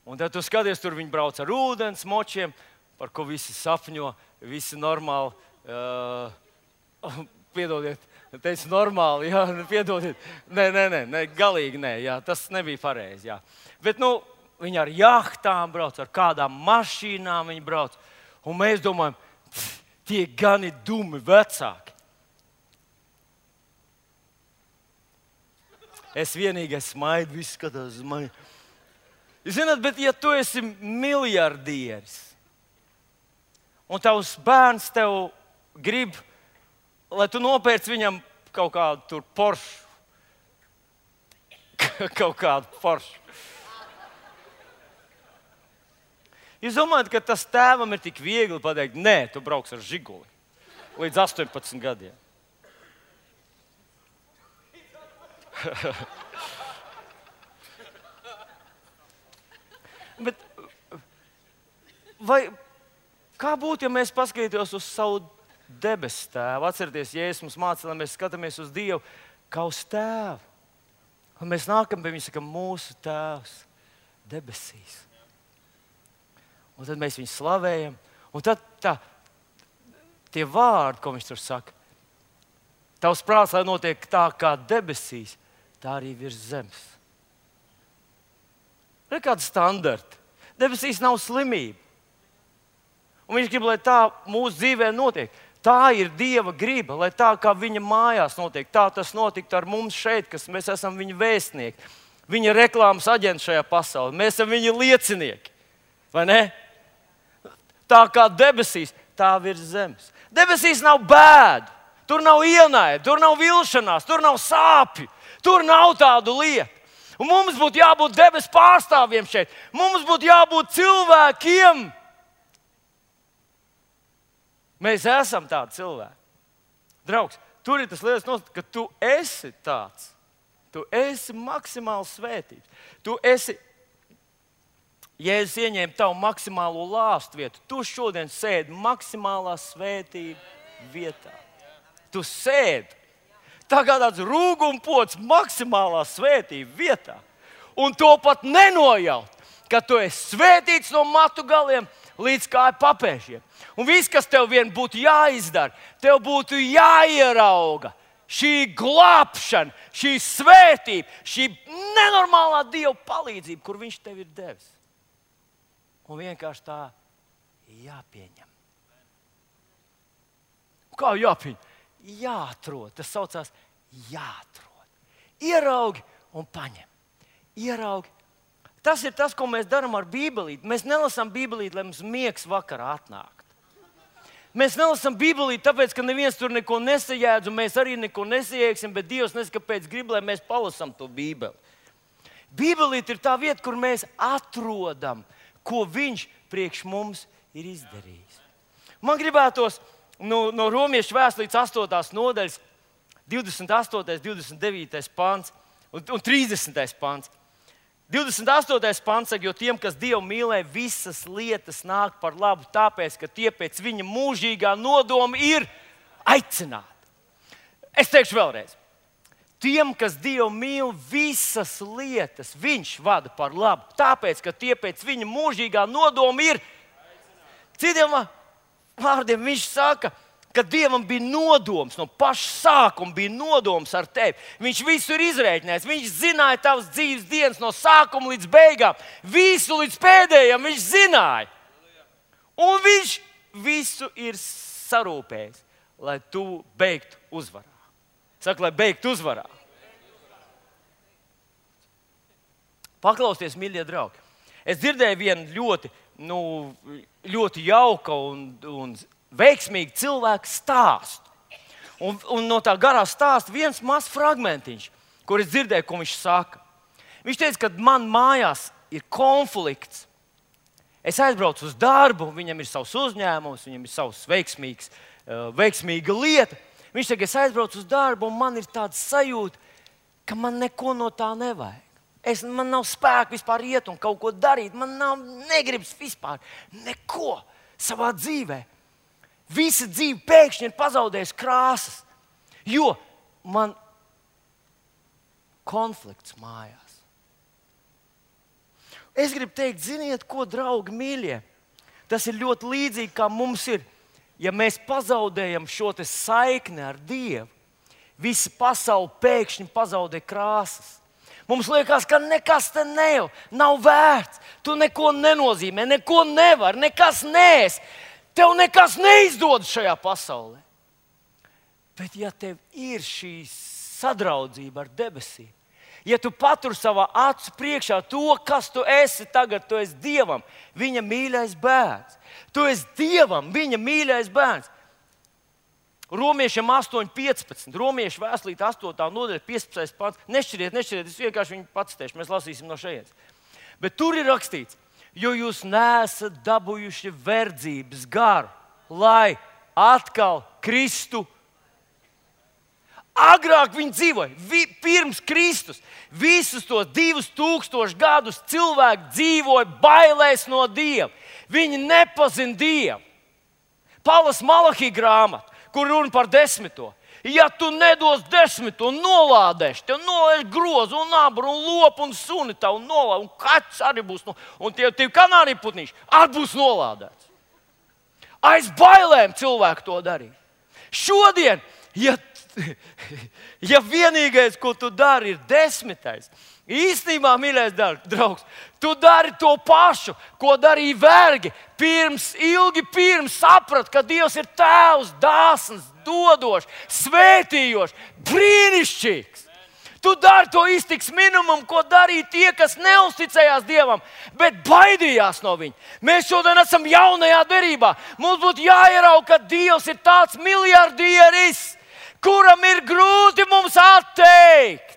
Un tad tu skaties, tur viņi brauc ar ūdens močiem, par ko visi sapņo, visi normāli, uh, piedodiet, teicu normāli, jā, piedodiet, nē, nē, nē, nē, galīgi nē, jā, tas nebija pareizi, jā. Bet, nu, viņi ar jahtām brauc, ar kādām mašīnām viņi brauc, un mēs domājam, tie gan ir dumi vecāki. Es vienīgais smaidu, viss skatās uz mani. Zināt, bet ja tu esi miljardieris, un tavs bērns tev grib, lai tu nopērci viņam kaut kādu tur Porsche. kaut kādu Porsche. Jūs domājat, ka tas tēvam ir tik viegli pateikt, nē, tu brauks ar Žiguli līdz astoņpadsmit gadiem. Bet, vai, kā būtu, ja mēs paskatītos uz savu debesu tēvu? Atcerieties, Jēzus mums māca, lai mēs skatāmies uz Dievu kā uz tēvu. Un mēs nākam pie viņa, sakam, mūsu tēvs debesīs. Un tad mēs viņu slavējam. Un tad tā, tie vārdi, ko viņš tur saka, tavs prāts, lai notiek tā kā debesīs, tā arī virs zemes. Ir kāda standarta. Debesīs nav slimība. Un viņš grib, lai tā mūsu dzīvē notiek. Tā ir Dieva griba, lai tā kā viņa mājās notiek, tā tas notiktu ar mums šeit, kas mēs esam viņa vēstnieki. Viņa reklāmas aģenti šajā pasaulē. Mēs esam viņa liecinieki. Vai ne? Tā kā debesīs, tā virs zemes. Debesīs nav bēdu, tur nav ienaida, tur nav vilšanās, tur nav sāpju, tur nav tādu lietu. Un mums būtu jābūt debesu pārstāvjiem šeit. Mums būtu jābūt cilvēkiem. Mēs esam tādi cilvēki. Draugs, tur ir tas lietas, ka tu esi tāds. Tu esi maksimāli svētīts. Tu esi, Jēzus ieņēma tavu maksimālo lāstu vietu. Tu šodien sēdi maksimālā svētība vietā. Tu sēdi. Tā kā tāds rūgumpods maksimālā svētība vietā. Un to pat nenojaut, ka tu esi svētīts no matu galiem līdz kāju papēžiem. Un viss, kas tev vien būtu jāizdara, tev būtu jāierauga šī glābšana, šī svētība, šī nenormālā Dieva palīdzība, kur viņš tev ir devis. Un vienkārši tā jāpieņem. Kā jāpieņem? Jāatrod. Tas saucās jāatrod. Ieraugi un paņem. Ieraugi. Tas ir tas, ko mēs darām ar Bībelīti. Mēs nelasām Bībelīti, lai mums miegs vakarā atnākt. Mēs nelasām Bībelīti, tāpēc, ka neviens tur neko nesajēdz, un mēs arī neko nesajēgsim, bet Dievs nezinu, kāpēc grib, lai mēs palasām to Bībeli. Bībelīte ir tā vieta, kur mēs atrodam, ko viņš priekš mums ir izdarījis. Man gribētos no, no Romiešu vēstures astotās nodaļas, divdesmit astotais, divdesmit devītais pants un, un trīsdesmitais pants. divdesmit astotais pants saka, jo tiem, kas Dievu mīlē, visas lietas nāk par labu, tāpēc, ka tie pēc viņa mūžīgā nodoma ir aicināti. Es teikšu vēlreiz. Tiem, kas Dievu mīl, visas lietas viņš vada par labu, tāpēc, ka tie pēc viņa mūžīgā nodoma ir. Citiem vārdiem viņš saka, ka Dievam bija nodoms, no paša sākuma bija nodoms ar tevi. Viņš visu ir izrēķinājis, viņš zināja tavas dzīves dienas no sākuma līdz beigām. Visu līdz pēdējiem viņš zināja. Un viņš visu ir sarūpējis, lai tu beigtu uzvarā. Saka, lai beigtu uzvarā. Paklausieties, mīļie draugi. Es dzirdēju vienu ļoti, nu, ļoti jauka un, un veiksmīgu cilvēku stāstu. Un, un no tā garā stāsta viens mazs fragmentiņš, kur es dzirdēju, ko viņš saka. Viņš teica, ka man mājās ir konflikts. Es aizbraucu uz darbu, viņam ir savs uzņēmums, viņam ir savs veiksmīgs, veiksmīga lieta. Viņš saka, es aizbraucu uz darbu, un man ir tāds sajūta, ka man neko no tā nevajag. Es, man nav spēka vispār iet un kaut ko darīt. Man nav negribas vispār neko savā dzīvē. Visa dzīve pēkšņi ir pazaudējusi krāsas, jo man konflikts mājās. Es gribu teikt, ziniet, ko, draugi mīļie, tas ir ļoti līdzīgi, kā mums ir. Ja mēs pazaudējam šo saikni ar Dievu, visa pasaule pēkšņi pazaudē krāsas. Mums liekas, ka nekas te nav, nav vērts. Tu neko nenozīmē, neko nevar, nekas neesi. Tev nekas neizdodas šajā pasaulē. Bet ja tev ir šī sadraudzība ar debesīm, ja tu paturi savā acu priekšā to, kas tu esi tagad, tu esi Dievam, viņa mīļais bērns. Tu esi Dievam, viņa mīļais bērns. Romiešiem astoņi piecpadsmit, Romiešu vēstulīte astotā nodaļa, piecpadsmitais pants. Nešķiriet, nešķiriet, es vienkārši viņu pacitēšu, mēs lasīsim no šejienes. Bet tur ir rakstīts, jo jūs neesat dabūjuši verdzības garu, lai atkal kristu. Agrāk viņi dzīvoja, vi, pirms Kristus. Visus tos divus tūkstošus gadus cilvēki dzīvoja bailēs no Dieva. Viņi nepazina Dievu. Palas Malahī grāmata, kur runa par desmito. Ja tu nedos desmito, nolādēšu, tev nolēš grozu un nabru un lopu un suni tavu nolādēšu. Un kaķis arī būs, no, un tie, tie kanāriju putniši arī būs nolādēts. Aiz bailēm cilvēki to darīja. Šodien, ja, ja vienīgais, ko tu dari, ir desmitais, īstenībā, mīļais draugs, tu dari to pašu, ko darīja vergi. Pirms, ilgi pirms saprat, ka Dievs ir tēvs, dāsns, dodošs, svētījošs, brīnišķīgs. Tu dari to iztiks minimumu, ko darīja tie, kas neusticējās Dievam, bet baidījās no viņa. Mēs šodien esam jaunajā derībā. Mums būtu jāierauga, ka Dievs ir tāds miljardieris, kuram ir grūti mums atteikt.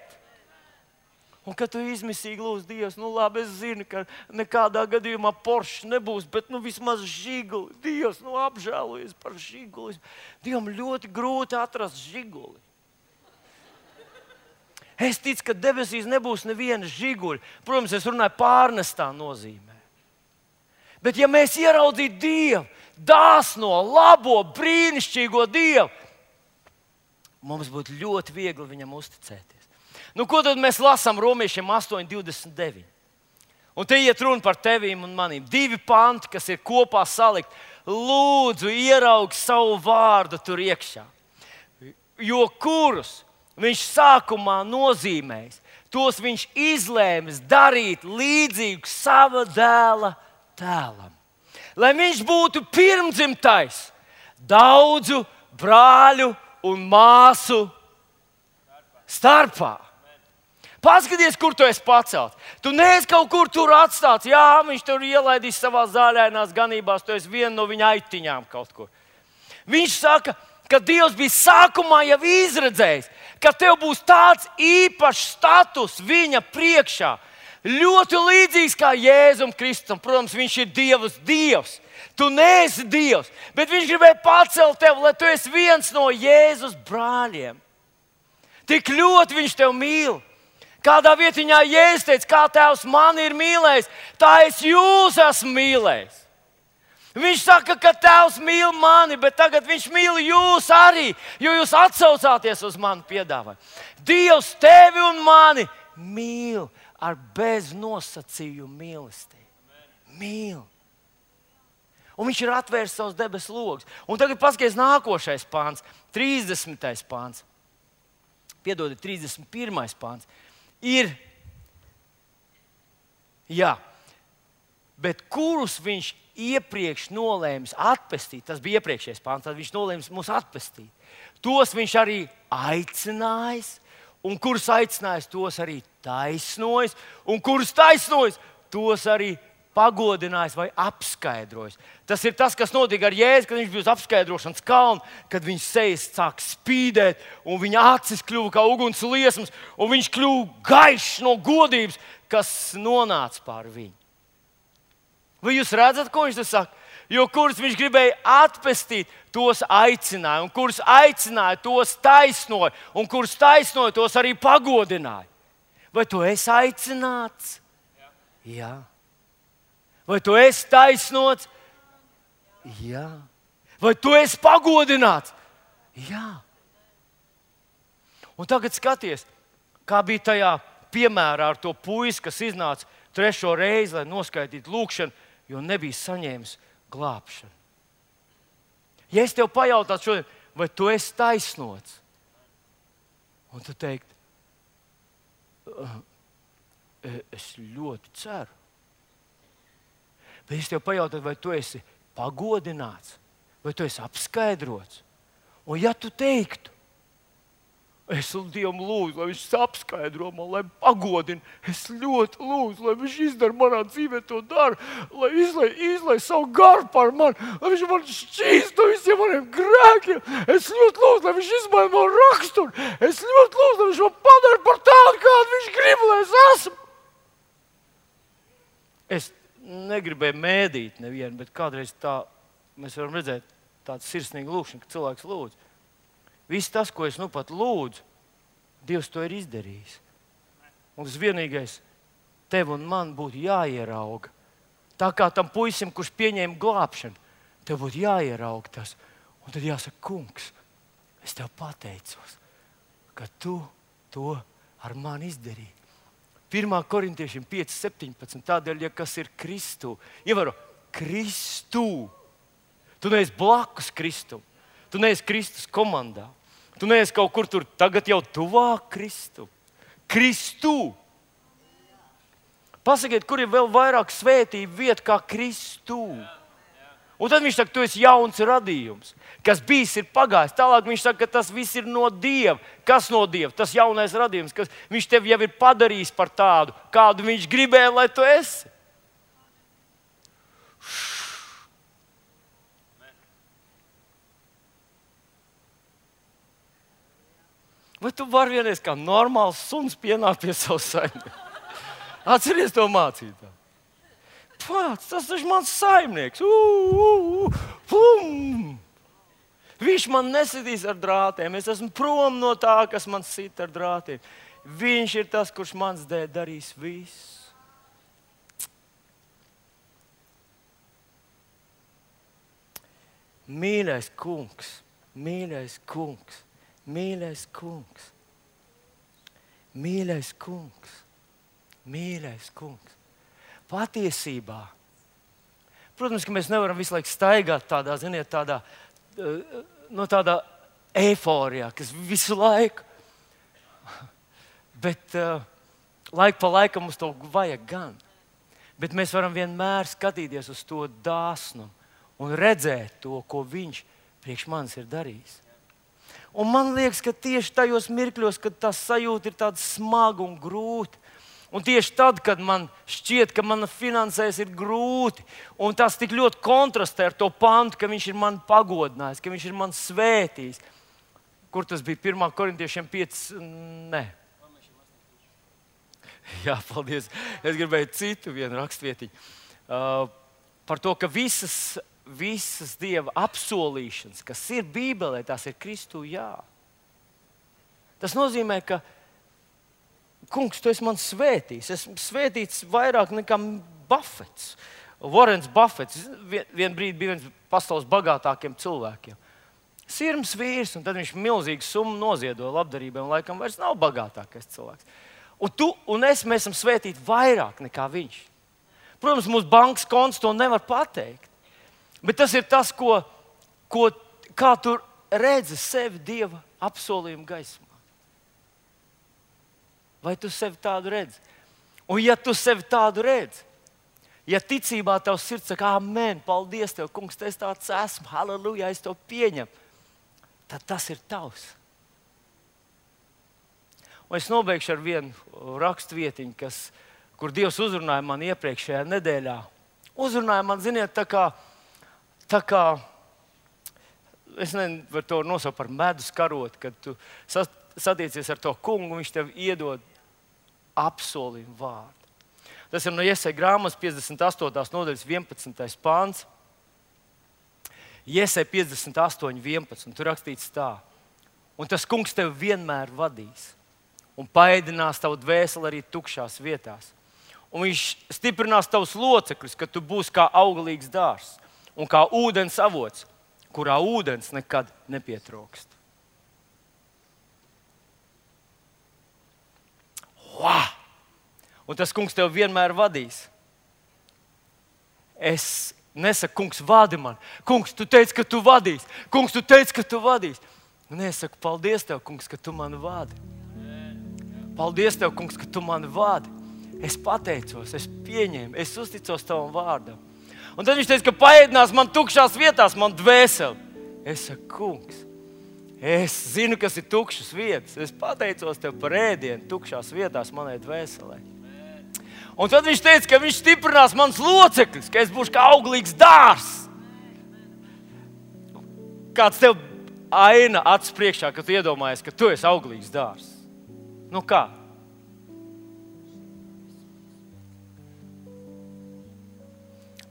Un kad tu izmisīgi lūdz Dievs, nu labi, es zinu, ka nekādā gadījumā Porsche nebūs, bet nu vismaz žiguli. Dievs, nu apžēlojies par žiguli. Dievam ļoti grūti atrast žiguli. Es ticu, ka debesīs nebūs neviena žiguļa. Protams, es runāju pārnestā nozīmē. Bet ja mēs ieraudzītu Dievu, dāsno, labo, brīnišķīgo Dievu, mums būtu ļoti viegli viņam uzticēties. Nu, ko tad mēs lasām Romiešiem astoņi divdesmit deviņi? Un te iet runa par tevīm un manīm. Divi panti, kas ir kopā salikt. Lūdzu, ieraug savu vārdu tur iekšā. Jo kurus viņš sākumā nozīmējis, tos viņš izlēmis darīt līdzīgu sava dēla tēlam. Lai viņš būtu pirmdzimtais daudzu brāļu un māsu starpā. Paskaties, kur tu esi pacelts. Tu neesi kaut kur tur atstāts. Jā, viņš tur ielaidīs savā zāļainās ganībās. Tu esi viena no viņa aitiņām kaut kur. Viņš saka, ka Dievs bija sākumā jau izredzējis, ka tev būs tāds īpašs status viņa priekšā. Ļoti līdzīgs kā Jēzum Kristum. Protams, viņš ir Dievs Dievs. Tu neesi Dievs, bet viņš gribēja pacelt tevi, lai tu esi viens no Jēzus brāļiem. Tik ļoti viņš tevi mīl. Kādā vietiņā Jēzus teica, kā Tēvs mani ir mīlējis, tā es jūs esmu mīlējis. Viņš saka, ka Tēvs mīl mani, bet tagad viņš mīl jūs arī, jo jūs atsaucāties uz manu piedāvājumu. Dievs tevi un mani mīl ar beznosacījumu mīlestību. Mīl. Un viņš ir atvērs savus debesu logus. Un tagad paskaties nākošais pāns, trīsdesmitais pāns. Piedodiet, trīsdesmit pirmais pāns. Ir, jā, bet kurus viņš iepriekš nolēmis atpestīt, tas bija iepriekšējais pāns, tad viņš nolēmis mūs atpestīt. Tos viņš arī aicinājis, un kurus aicinājis, tos arī taisnojis, un kurus taisnojis, tos arī pagodinājis vai apskaidrojis. Tas ir tas, kas notika ar Jēzu, kad viņš bija uz apskaidrošanas kalna, kad viņš sejas sāk spīdēt, un viņa acis kļuva kā uguns liesmas, un viņš kļuva gaišs no godības, kas nonāca pār viņu. Vai jūs redzat, ko viņš te saka? Jo kurus viņš gribēja atpestīt, tos aicināja, un kurus aicināja, tos taisnoja, un kurus taisnoja, tos arī pagodināja. Vai tu esi aicināts? Jā. Jā. Vai tu esi taisnots? Jā. Vai tu esi pagodināts? Jā. Un tagad skaties, kā bija tajā piemērā ar to puisi, kas iznāca trešo reizi, lai noskaitītu lūgšanu, jo nebija saņēmis glābšanu. Ja es tev pajautātu šodien, vai tu esi taisnots? Un tu teikt, es ļoti ceru. Bet es tev pajautātu, vai tu esi pagodināts, vai tu esi apskaidrots. Un ja tu teiktu, es Dievam lūdzu, lai viņš apskaidro man, lai pagodina, es ļoti lūdzu, lai viņš izdara manā dzīvē to daru, lai izlai, izlai savu garu par mani, lai viņš man šķīst no visiem maniem grēkiem. Es ļoti lūdzu, lai viņš izmaina man raksturu. Es ļoti lūdzu, lai viņš man padara par tādu, kādu viņš grib, lai es esmu. Es negribēju mēdīt nevienu, bet kādreiz tā mēs varam redzēt tādu sirsnīgu lūkšanu, ka cilvēks lūdz. Viss tas, ko es nu pat lūdzu, Dievs to ir izdarījis. Un tas vienīgais tev un man būtu jāierauga. Tā kā tam puisim, kurš pieņēma glābšanu, tev būtu jāierauga tas. Un tad jāsaka, kungs, es tev pateicos, ka tu to ar mani izdarīji. pirmā korintiešiem pieci septiņpadsmit. Tādēļ, ja kas ir Kristū, ievēro, Kristū. Tu neesi blakus Kristum. Tu neesi Kristus komandā. Tu neesi kaut kur tur tagad jau tuvāk Kristum. Kristū. Pasakiet, kur ir vēl vairāk svētību vieta kā Kristū. Un tad viņš saka, tu esi jauns radījums, kas bijis ir pagājis. Tālāk viņš saka, ka tas viss ir no Dieva. Kas no Dieva? Tas jaunais radījums, kas viņš tev jau ir padarījis par tādu, kādu viņš gribēja, lai tu esi. Vai tu vari vienreiz kā normāls suns pienākt pie savas saimnieka? Atceries to mācītāju. Pats, tas ir mans saimnieks. Uh, uh, uh, pum. Viņš man nesitīs ar drātiem. Es esmu prom no tā, kas man sit ar drātiem. Viņš ir tas, kurš mans dēļ darīs visu. Mīļais kungs, mīļais kungs, mīļais kungs, mīļais kungs, mīļais kungs. Patiesībā, protams, ka mēs nevaram visu laiku staigāt tādā, ziniet, tādā, no tādā eiforijā, kas visu laiku, bet uh, laiku pa laikam mums to vajag gan. Bet mēs varam vienmēr skatīties uz to dāsnumu un redzēt to, ko viņš priekš manis ir darījis. Un man liekas, ka tieši tajos mirkļos, kad tā sajūta ir tāda smaga un grūta, un tieši tad, kad man šķiet, ka mana finansēs ir grūti, un tas tik ļoti kontrastē ar to pantu, ka viņš ir mani pagodinājis, ka viņš ir mani svētījis. Kur tas bija? pirmā korintiešiem pieci? Nē. Jā, paldies. Es gribēju citu vienu rakstvietiņu. Uh, par to, ka visas, visas Dieva apsolīšanas, kas ir Bībelē, tās ir Kristū, jā. Tas nozīmē, ka kungs, tu esi man svētījis. Esmu svētīts vairāk nekā Buffets. Warrens Buffets vien, vien brīdi bija viens pasaules bagātākiem cilvēkiem. Sirms vīrs, un tad viņš milzīgu summu noziedoja labdarībai, un laikam vairs nav bagātākais cilvēks. Un tu un es, mēs esam svētīti vairāk nekā viņš. Protams, mūsu bankas konts to nevar pateikt. Bet tas ir tas, ko, ko, kā tu redzi sevi Dieva apsolījuma gaismā. Vai tu sevi tādu redzi? Un ja tu sevi tādu redzi, ja ticībā tavs sirds saka, amen, paldies tev, kungs, es tāds esmu, halleluja, es to pieņemu, tad tas ir tavs. Un es nobeigšu ar vienu rakstvietiņu, kas, kur Dievs uzrunāja man iepriekšējā nedēļā. Uzrunāja man, ziniet, tā kā, tā kā es nezinu, var to nosaukt par medus karoti, kad tu satiecies ar to kungu, viņš tev iedod apsolījumu vārdu. Tas ir no Jesaja grāmatas piecdesmit astotās nodaļas vienpadsmitais pāns. Jesaja piecdesmit astoņi vienpadsmit. Tur rakstīts tā. Un tas kungs tev vienmēr vadīs un paēdinās tavu dvēseli arī tukšās vietās. Un viņš stiprinās tavus locekļus, ka tu būsi kā augalīgs dārzs un kā ūdens avots, kurā ūdens nekad nepietrūkst. Wow! Un tas kungs tev vienmēr vadīs. Es nesaku, kungs, vadi man. Kungs, tu teici, ka tu vadīs. Kungs, tu teici, ka tu vadīs. Un es saku, paldies tev, kungs, ka tu mani vadi. Paldies tev, kungs, ka tu mani vadi. Es pateicos, es pieņēmu, es uzticos tavam vārdam. Un tad viņš teica, ka paēdinās man tukšās vietās, man dvēseli. Es saku, kungs, es zinu, kas ir tukšas vietas. Es pateicos tev par ēdienu tukšās vietās manai dvēselē. Un tad viņš teica, ka viņš stiprinās mans locekļus, ka es būšu kā auglīgs dārzs. Kāds tev aina acis priekšā, ka tu iedomājies, ka tu esi auglīgs dārzs? Nu kā?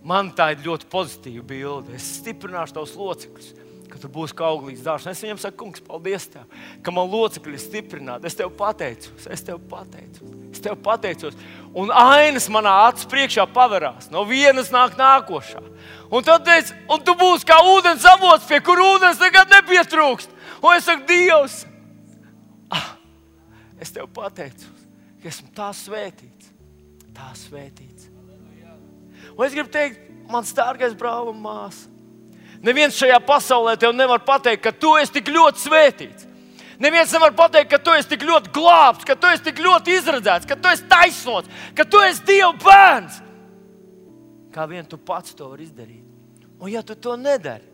Man tā ir ļoti pozitīva bilde. Es stiprināšu tavus locekļus, ka tu būsi kā auglīgs dārzs. Es viņam saku, kungs, paldies tev, ka man locekļi ir stiprināti. Es tev pateicos, es tev pateicos, es tev pateicos. Un ainas manā acu priekšā paverās. No vienas nāk nākošā. Un tad teic, un tu būsi kā ūdens avots, pie kur ūdens nekad nepietrūkst. Un es saku, Dievs, ah, es tev pateicos, ka esmu tā svētīts, tā svētīts. Un es gribu teikt, mans dārgais brāl un māsa, neviens šajā pasaulē tev nevar pateikt, ka tu esi tik ļoti svētīts. Neviens nevar pateikt, ka tu esi tik ļoti glābts, ka tu esi tik ļoti izredzēts, ka tu esi taisnots, ka tu esi Dieva bērns. Kā vien tu pats to vari izdarīt. Un ja tu to nedari,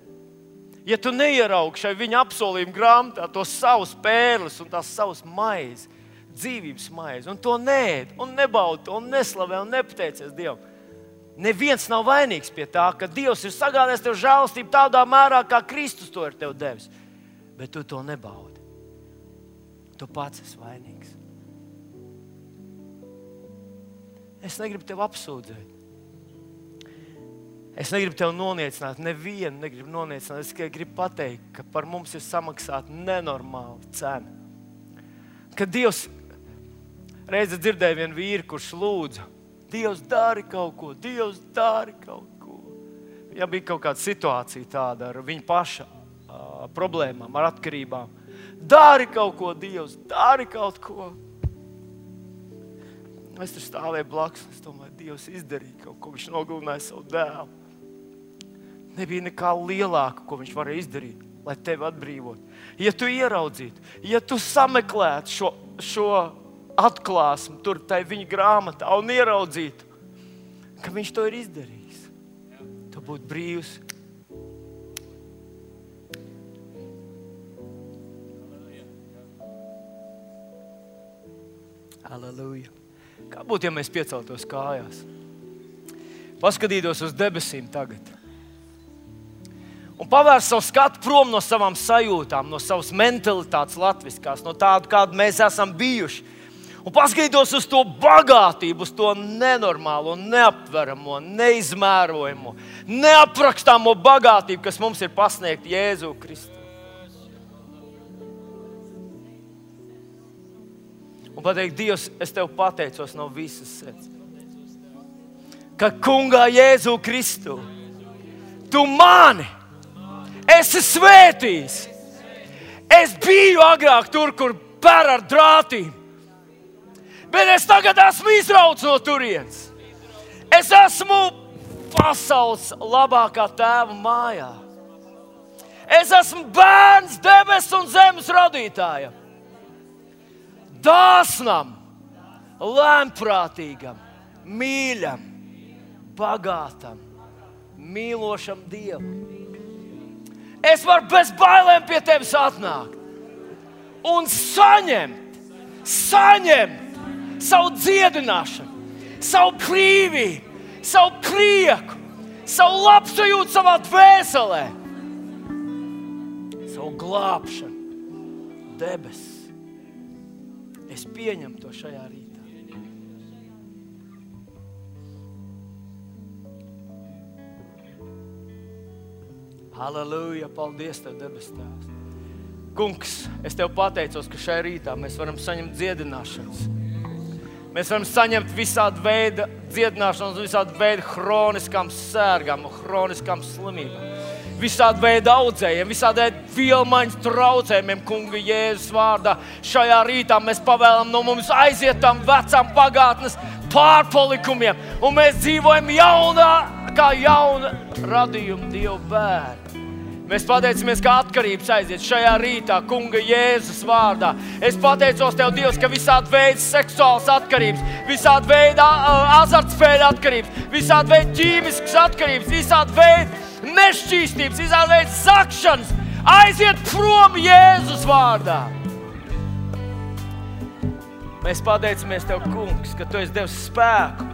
ja tu neieraugi šai viņa apsolījuma grāmatā tos savus pērles un tās savus maizi, dzīvības maizi, un to neēd, un nebaudi to, un neslavē, un nepateicies Dievam, neviens nav vainīgs pie tā, ka Dievs ir sagādājis tev žēlastību tādā mērā, kā Kristus to ir tev devis. Bet tu to nebaudi. Tu pats esi vainīgs. Es negribu tev apsūdzēt. Es negribu tev noniecināt, nevienu negribu noniecināt. Es tikai gribu pateikt, ka par mums ir samaksāta nenormāla cena. Kad Dievs, reiz dzirdēja vienu vīru, kurš lūdza, Dievs, dari kaut ko, Dievs, dari kaut ko. Ja bija kaut kāda situācija tāda ar viņa paša uh, problēmām, ar atkarībām. Dari kaut ko, Dievs, dari kaut ko. Es tur stāvēju blakus, es domāju, Dievs izdarīja kaut ko, viņš nogalināja savu dēlu. Nebija nekā lielāka, ko viņš varēja izdarīt, lai tevi atbrīvot. Ja tu ieraudzītu, ja tu sameklētu šo, šo atklāsmi tur tai viņa grāmatā un ieraudzītu, ka viņš to ir izdarījis, tu būtu brīvs. Halleluja. Kā būtu, ja mēs pieceltos kājās? Paskatītos uz debesīm tagad. Un pavērst savu skatu prom no savām sajūtām, no savas mentalitātes latviskās, no tādu, kādu mēs esam bijuši. Un paskatītos uz to bagātību, uz to nenormālo, neaptveramo, neizmērojamo, neaprakstāmo bagātību, kas mums ir pasniegta Jēzu Kristu. Un pateikt, Dievs, es tev pateicos no visas sirds, ka kungā Jēzu Kristu, tu mani esi svētījis. Es biju agrāk tur, kur pēr ar drātīm, bet es tagad esmu izrauts no turienes. Es esmu pasaules labākā tēva mājā. Es esmu bērns debesu un zemes radītājam. Dāsnam, lēmprātīgam, mīļam, bagātam, mīlošam Dievam. Es varu bez bailēm pie tevis atnākt un saņemt, saņemt savu dziedināšanu, savu brīvību, savu prieku, savu labsajūtu savā dvēselē, savu glābšanu, debesis. Es pieņemu to šajā rītā. Halleluja, paldies Tev, debes Tēvs. Kungs, es Tev pateicos, ka šajā rītā mēs varam saņemt dziedināšanas. Mēs varam saņemt visādi veida dziedināšanas, visādi veida hroniskām sērgām, hroniskām slimībām. Visādi veidi audzējiem, visādi veidi vielmaiņas traucējumiem, kunga Jēzus vārdā. Šajā rītā mēs pavēlam no mums aiziet tam vecām pagātnes pārpalikumiem, un mēs dzīvojam jaunā, kā jauna radījuma Dieva bērni. Mēs pateicamies, ka atkarības aiziet šajā rītā, kunga Jēzus vārdā. Es pateicos Tev, Dievs, ka visādi veidi seksuālas atkarības, visādi veidi azartspēļu atkarības, visādi veidi ķīmiskas atkarības, visādi veidi nešķīstības, visādi veidi zakšanas aiziet prom Jēzus vārdā. Mēs pateicamies Tev, kungs, ka Tu esi devis spēku,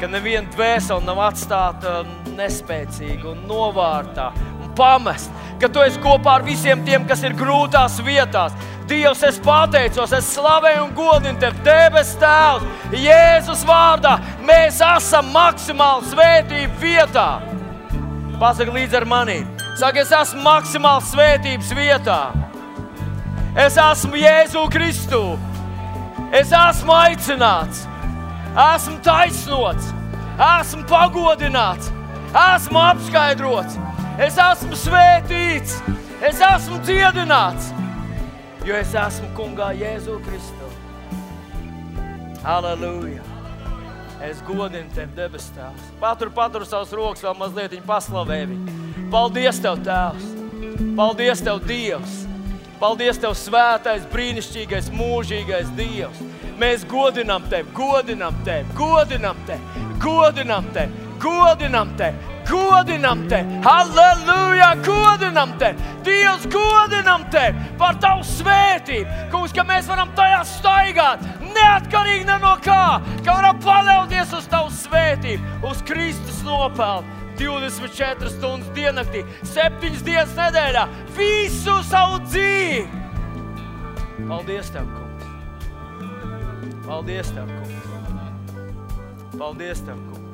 ka neviena dvēsele nav atstāta nespēcīga un novārtā un pamest, ka Tu esi kopā ar visiem tiem, kas ir grūtās vietās. Dievs, es pateicos, es slavēju un godinu Tev, debes Tēvs, Jēzus vārdā. Mēs esam maksimāli svētību vietā. Pasaka līdz ar mani. Saka, es esmu maksimāli svētības vietā. Es esmu Jēzu Kristu. Es esmu aicināts. Esmu taisnots. Esmu pagodināts. Esmu apskaidrots. Es esmu svētīts. Es esmu dziedināts. Jo es esmu kungā Jēzu Kristu. Halleluja. Es godinu Tev, debes Tēvs. Patur, patur savus rokas, vēl mazliet viņu paslavē viņu. Paldies Tev, Tēvs. Paldies Tev, Dievs. Paldies Tev, svētais, brīnišķīgais, mūžīgais Dievs. Mēs godinām Tevi, godinām Tevi, godinām Tevi, godinām Tevi, godinām Tevi. Godinam Tevi, halleluja, godinam Tevi, Dievs, godinam Tevi par Tavu svētību, kungs, ka mēs varam tajā staigāt, neatkarīgi ne no kā, ka varam paļauties uz Tavu svētību, uz Kristus nopelnu, divdesmit četras stundas diennaktī, septiņas dienas nedēļā, visu savu dzīvi. Paldies Tev, kungs. Paldies Tev, kungs. Paldies Tev, kungs.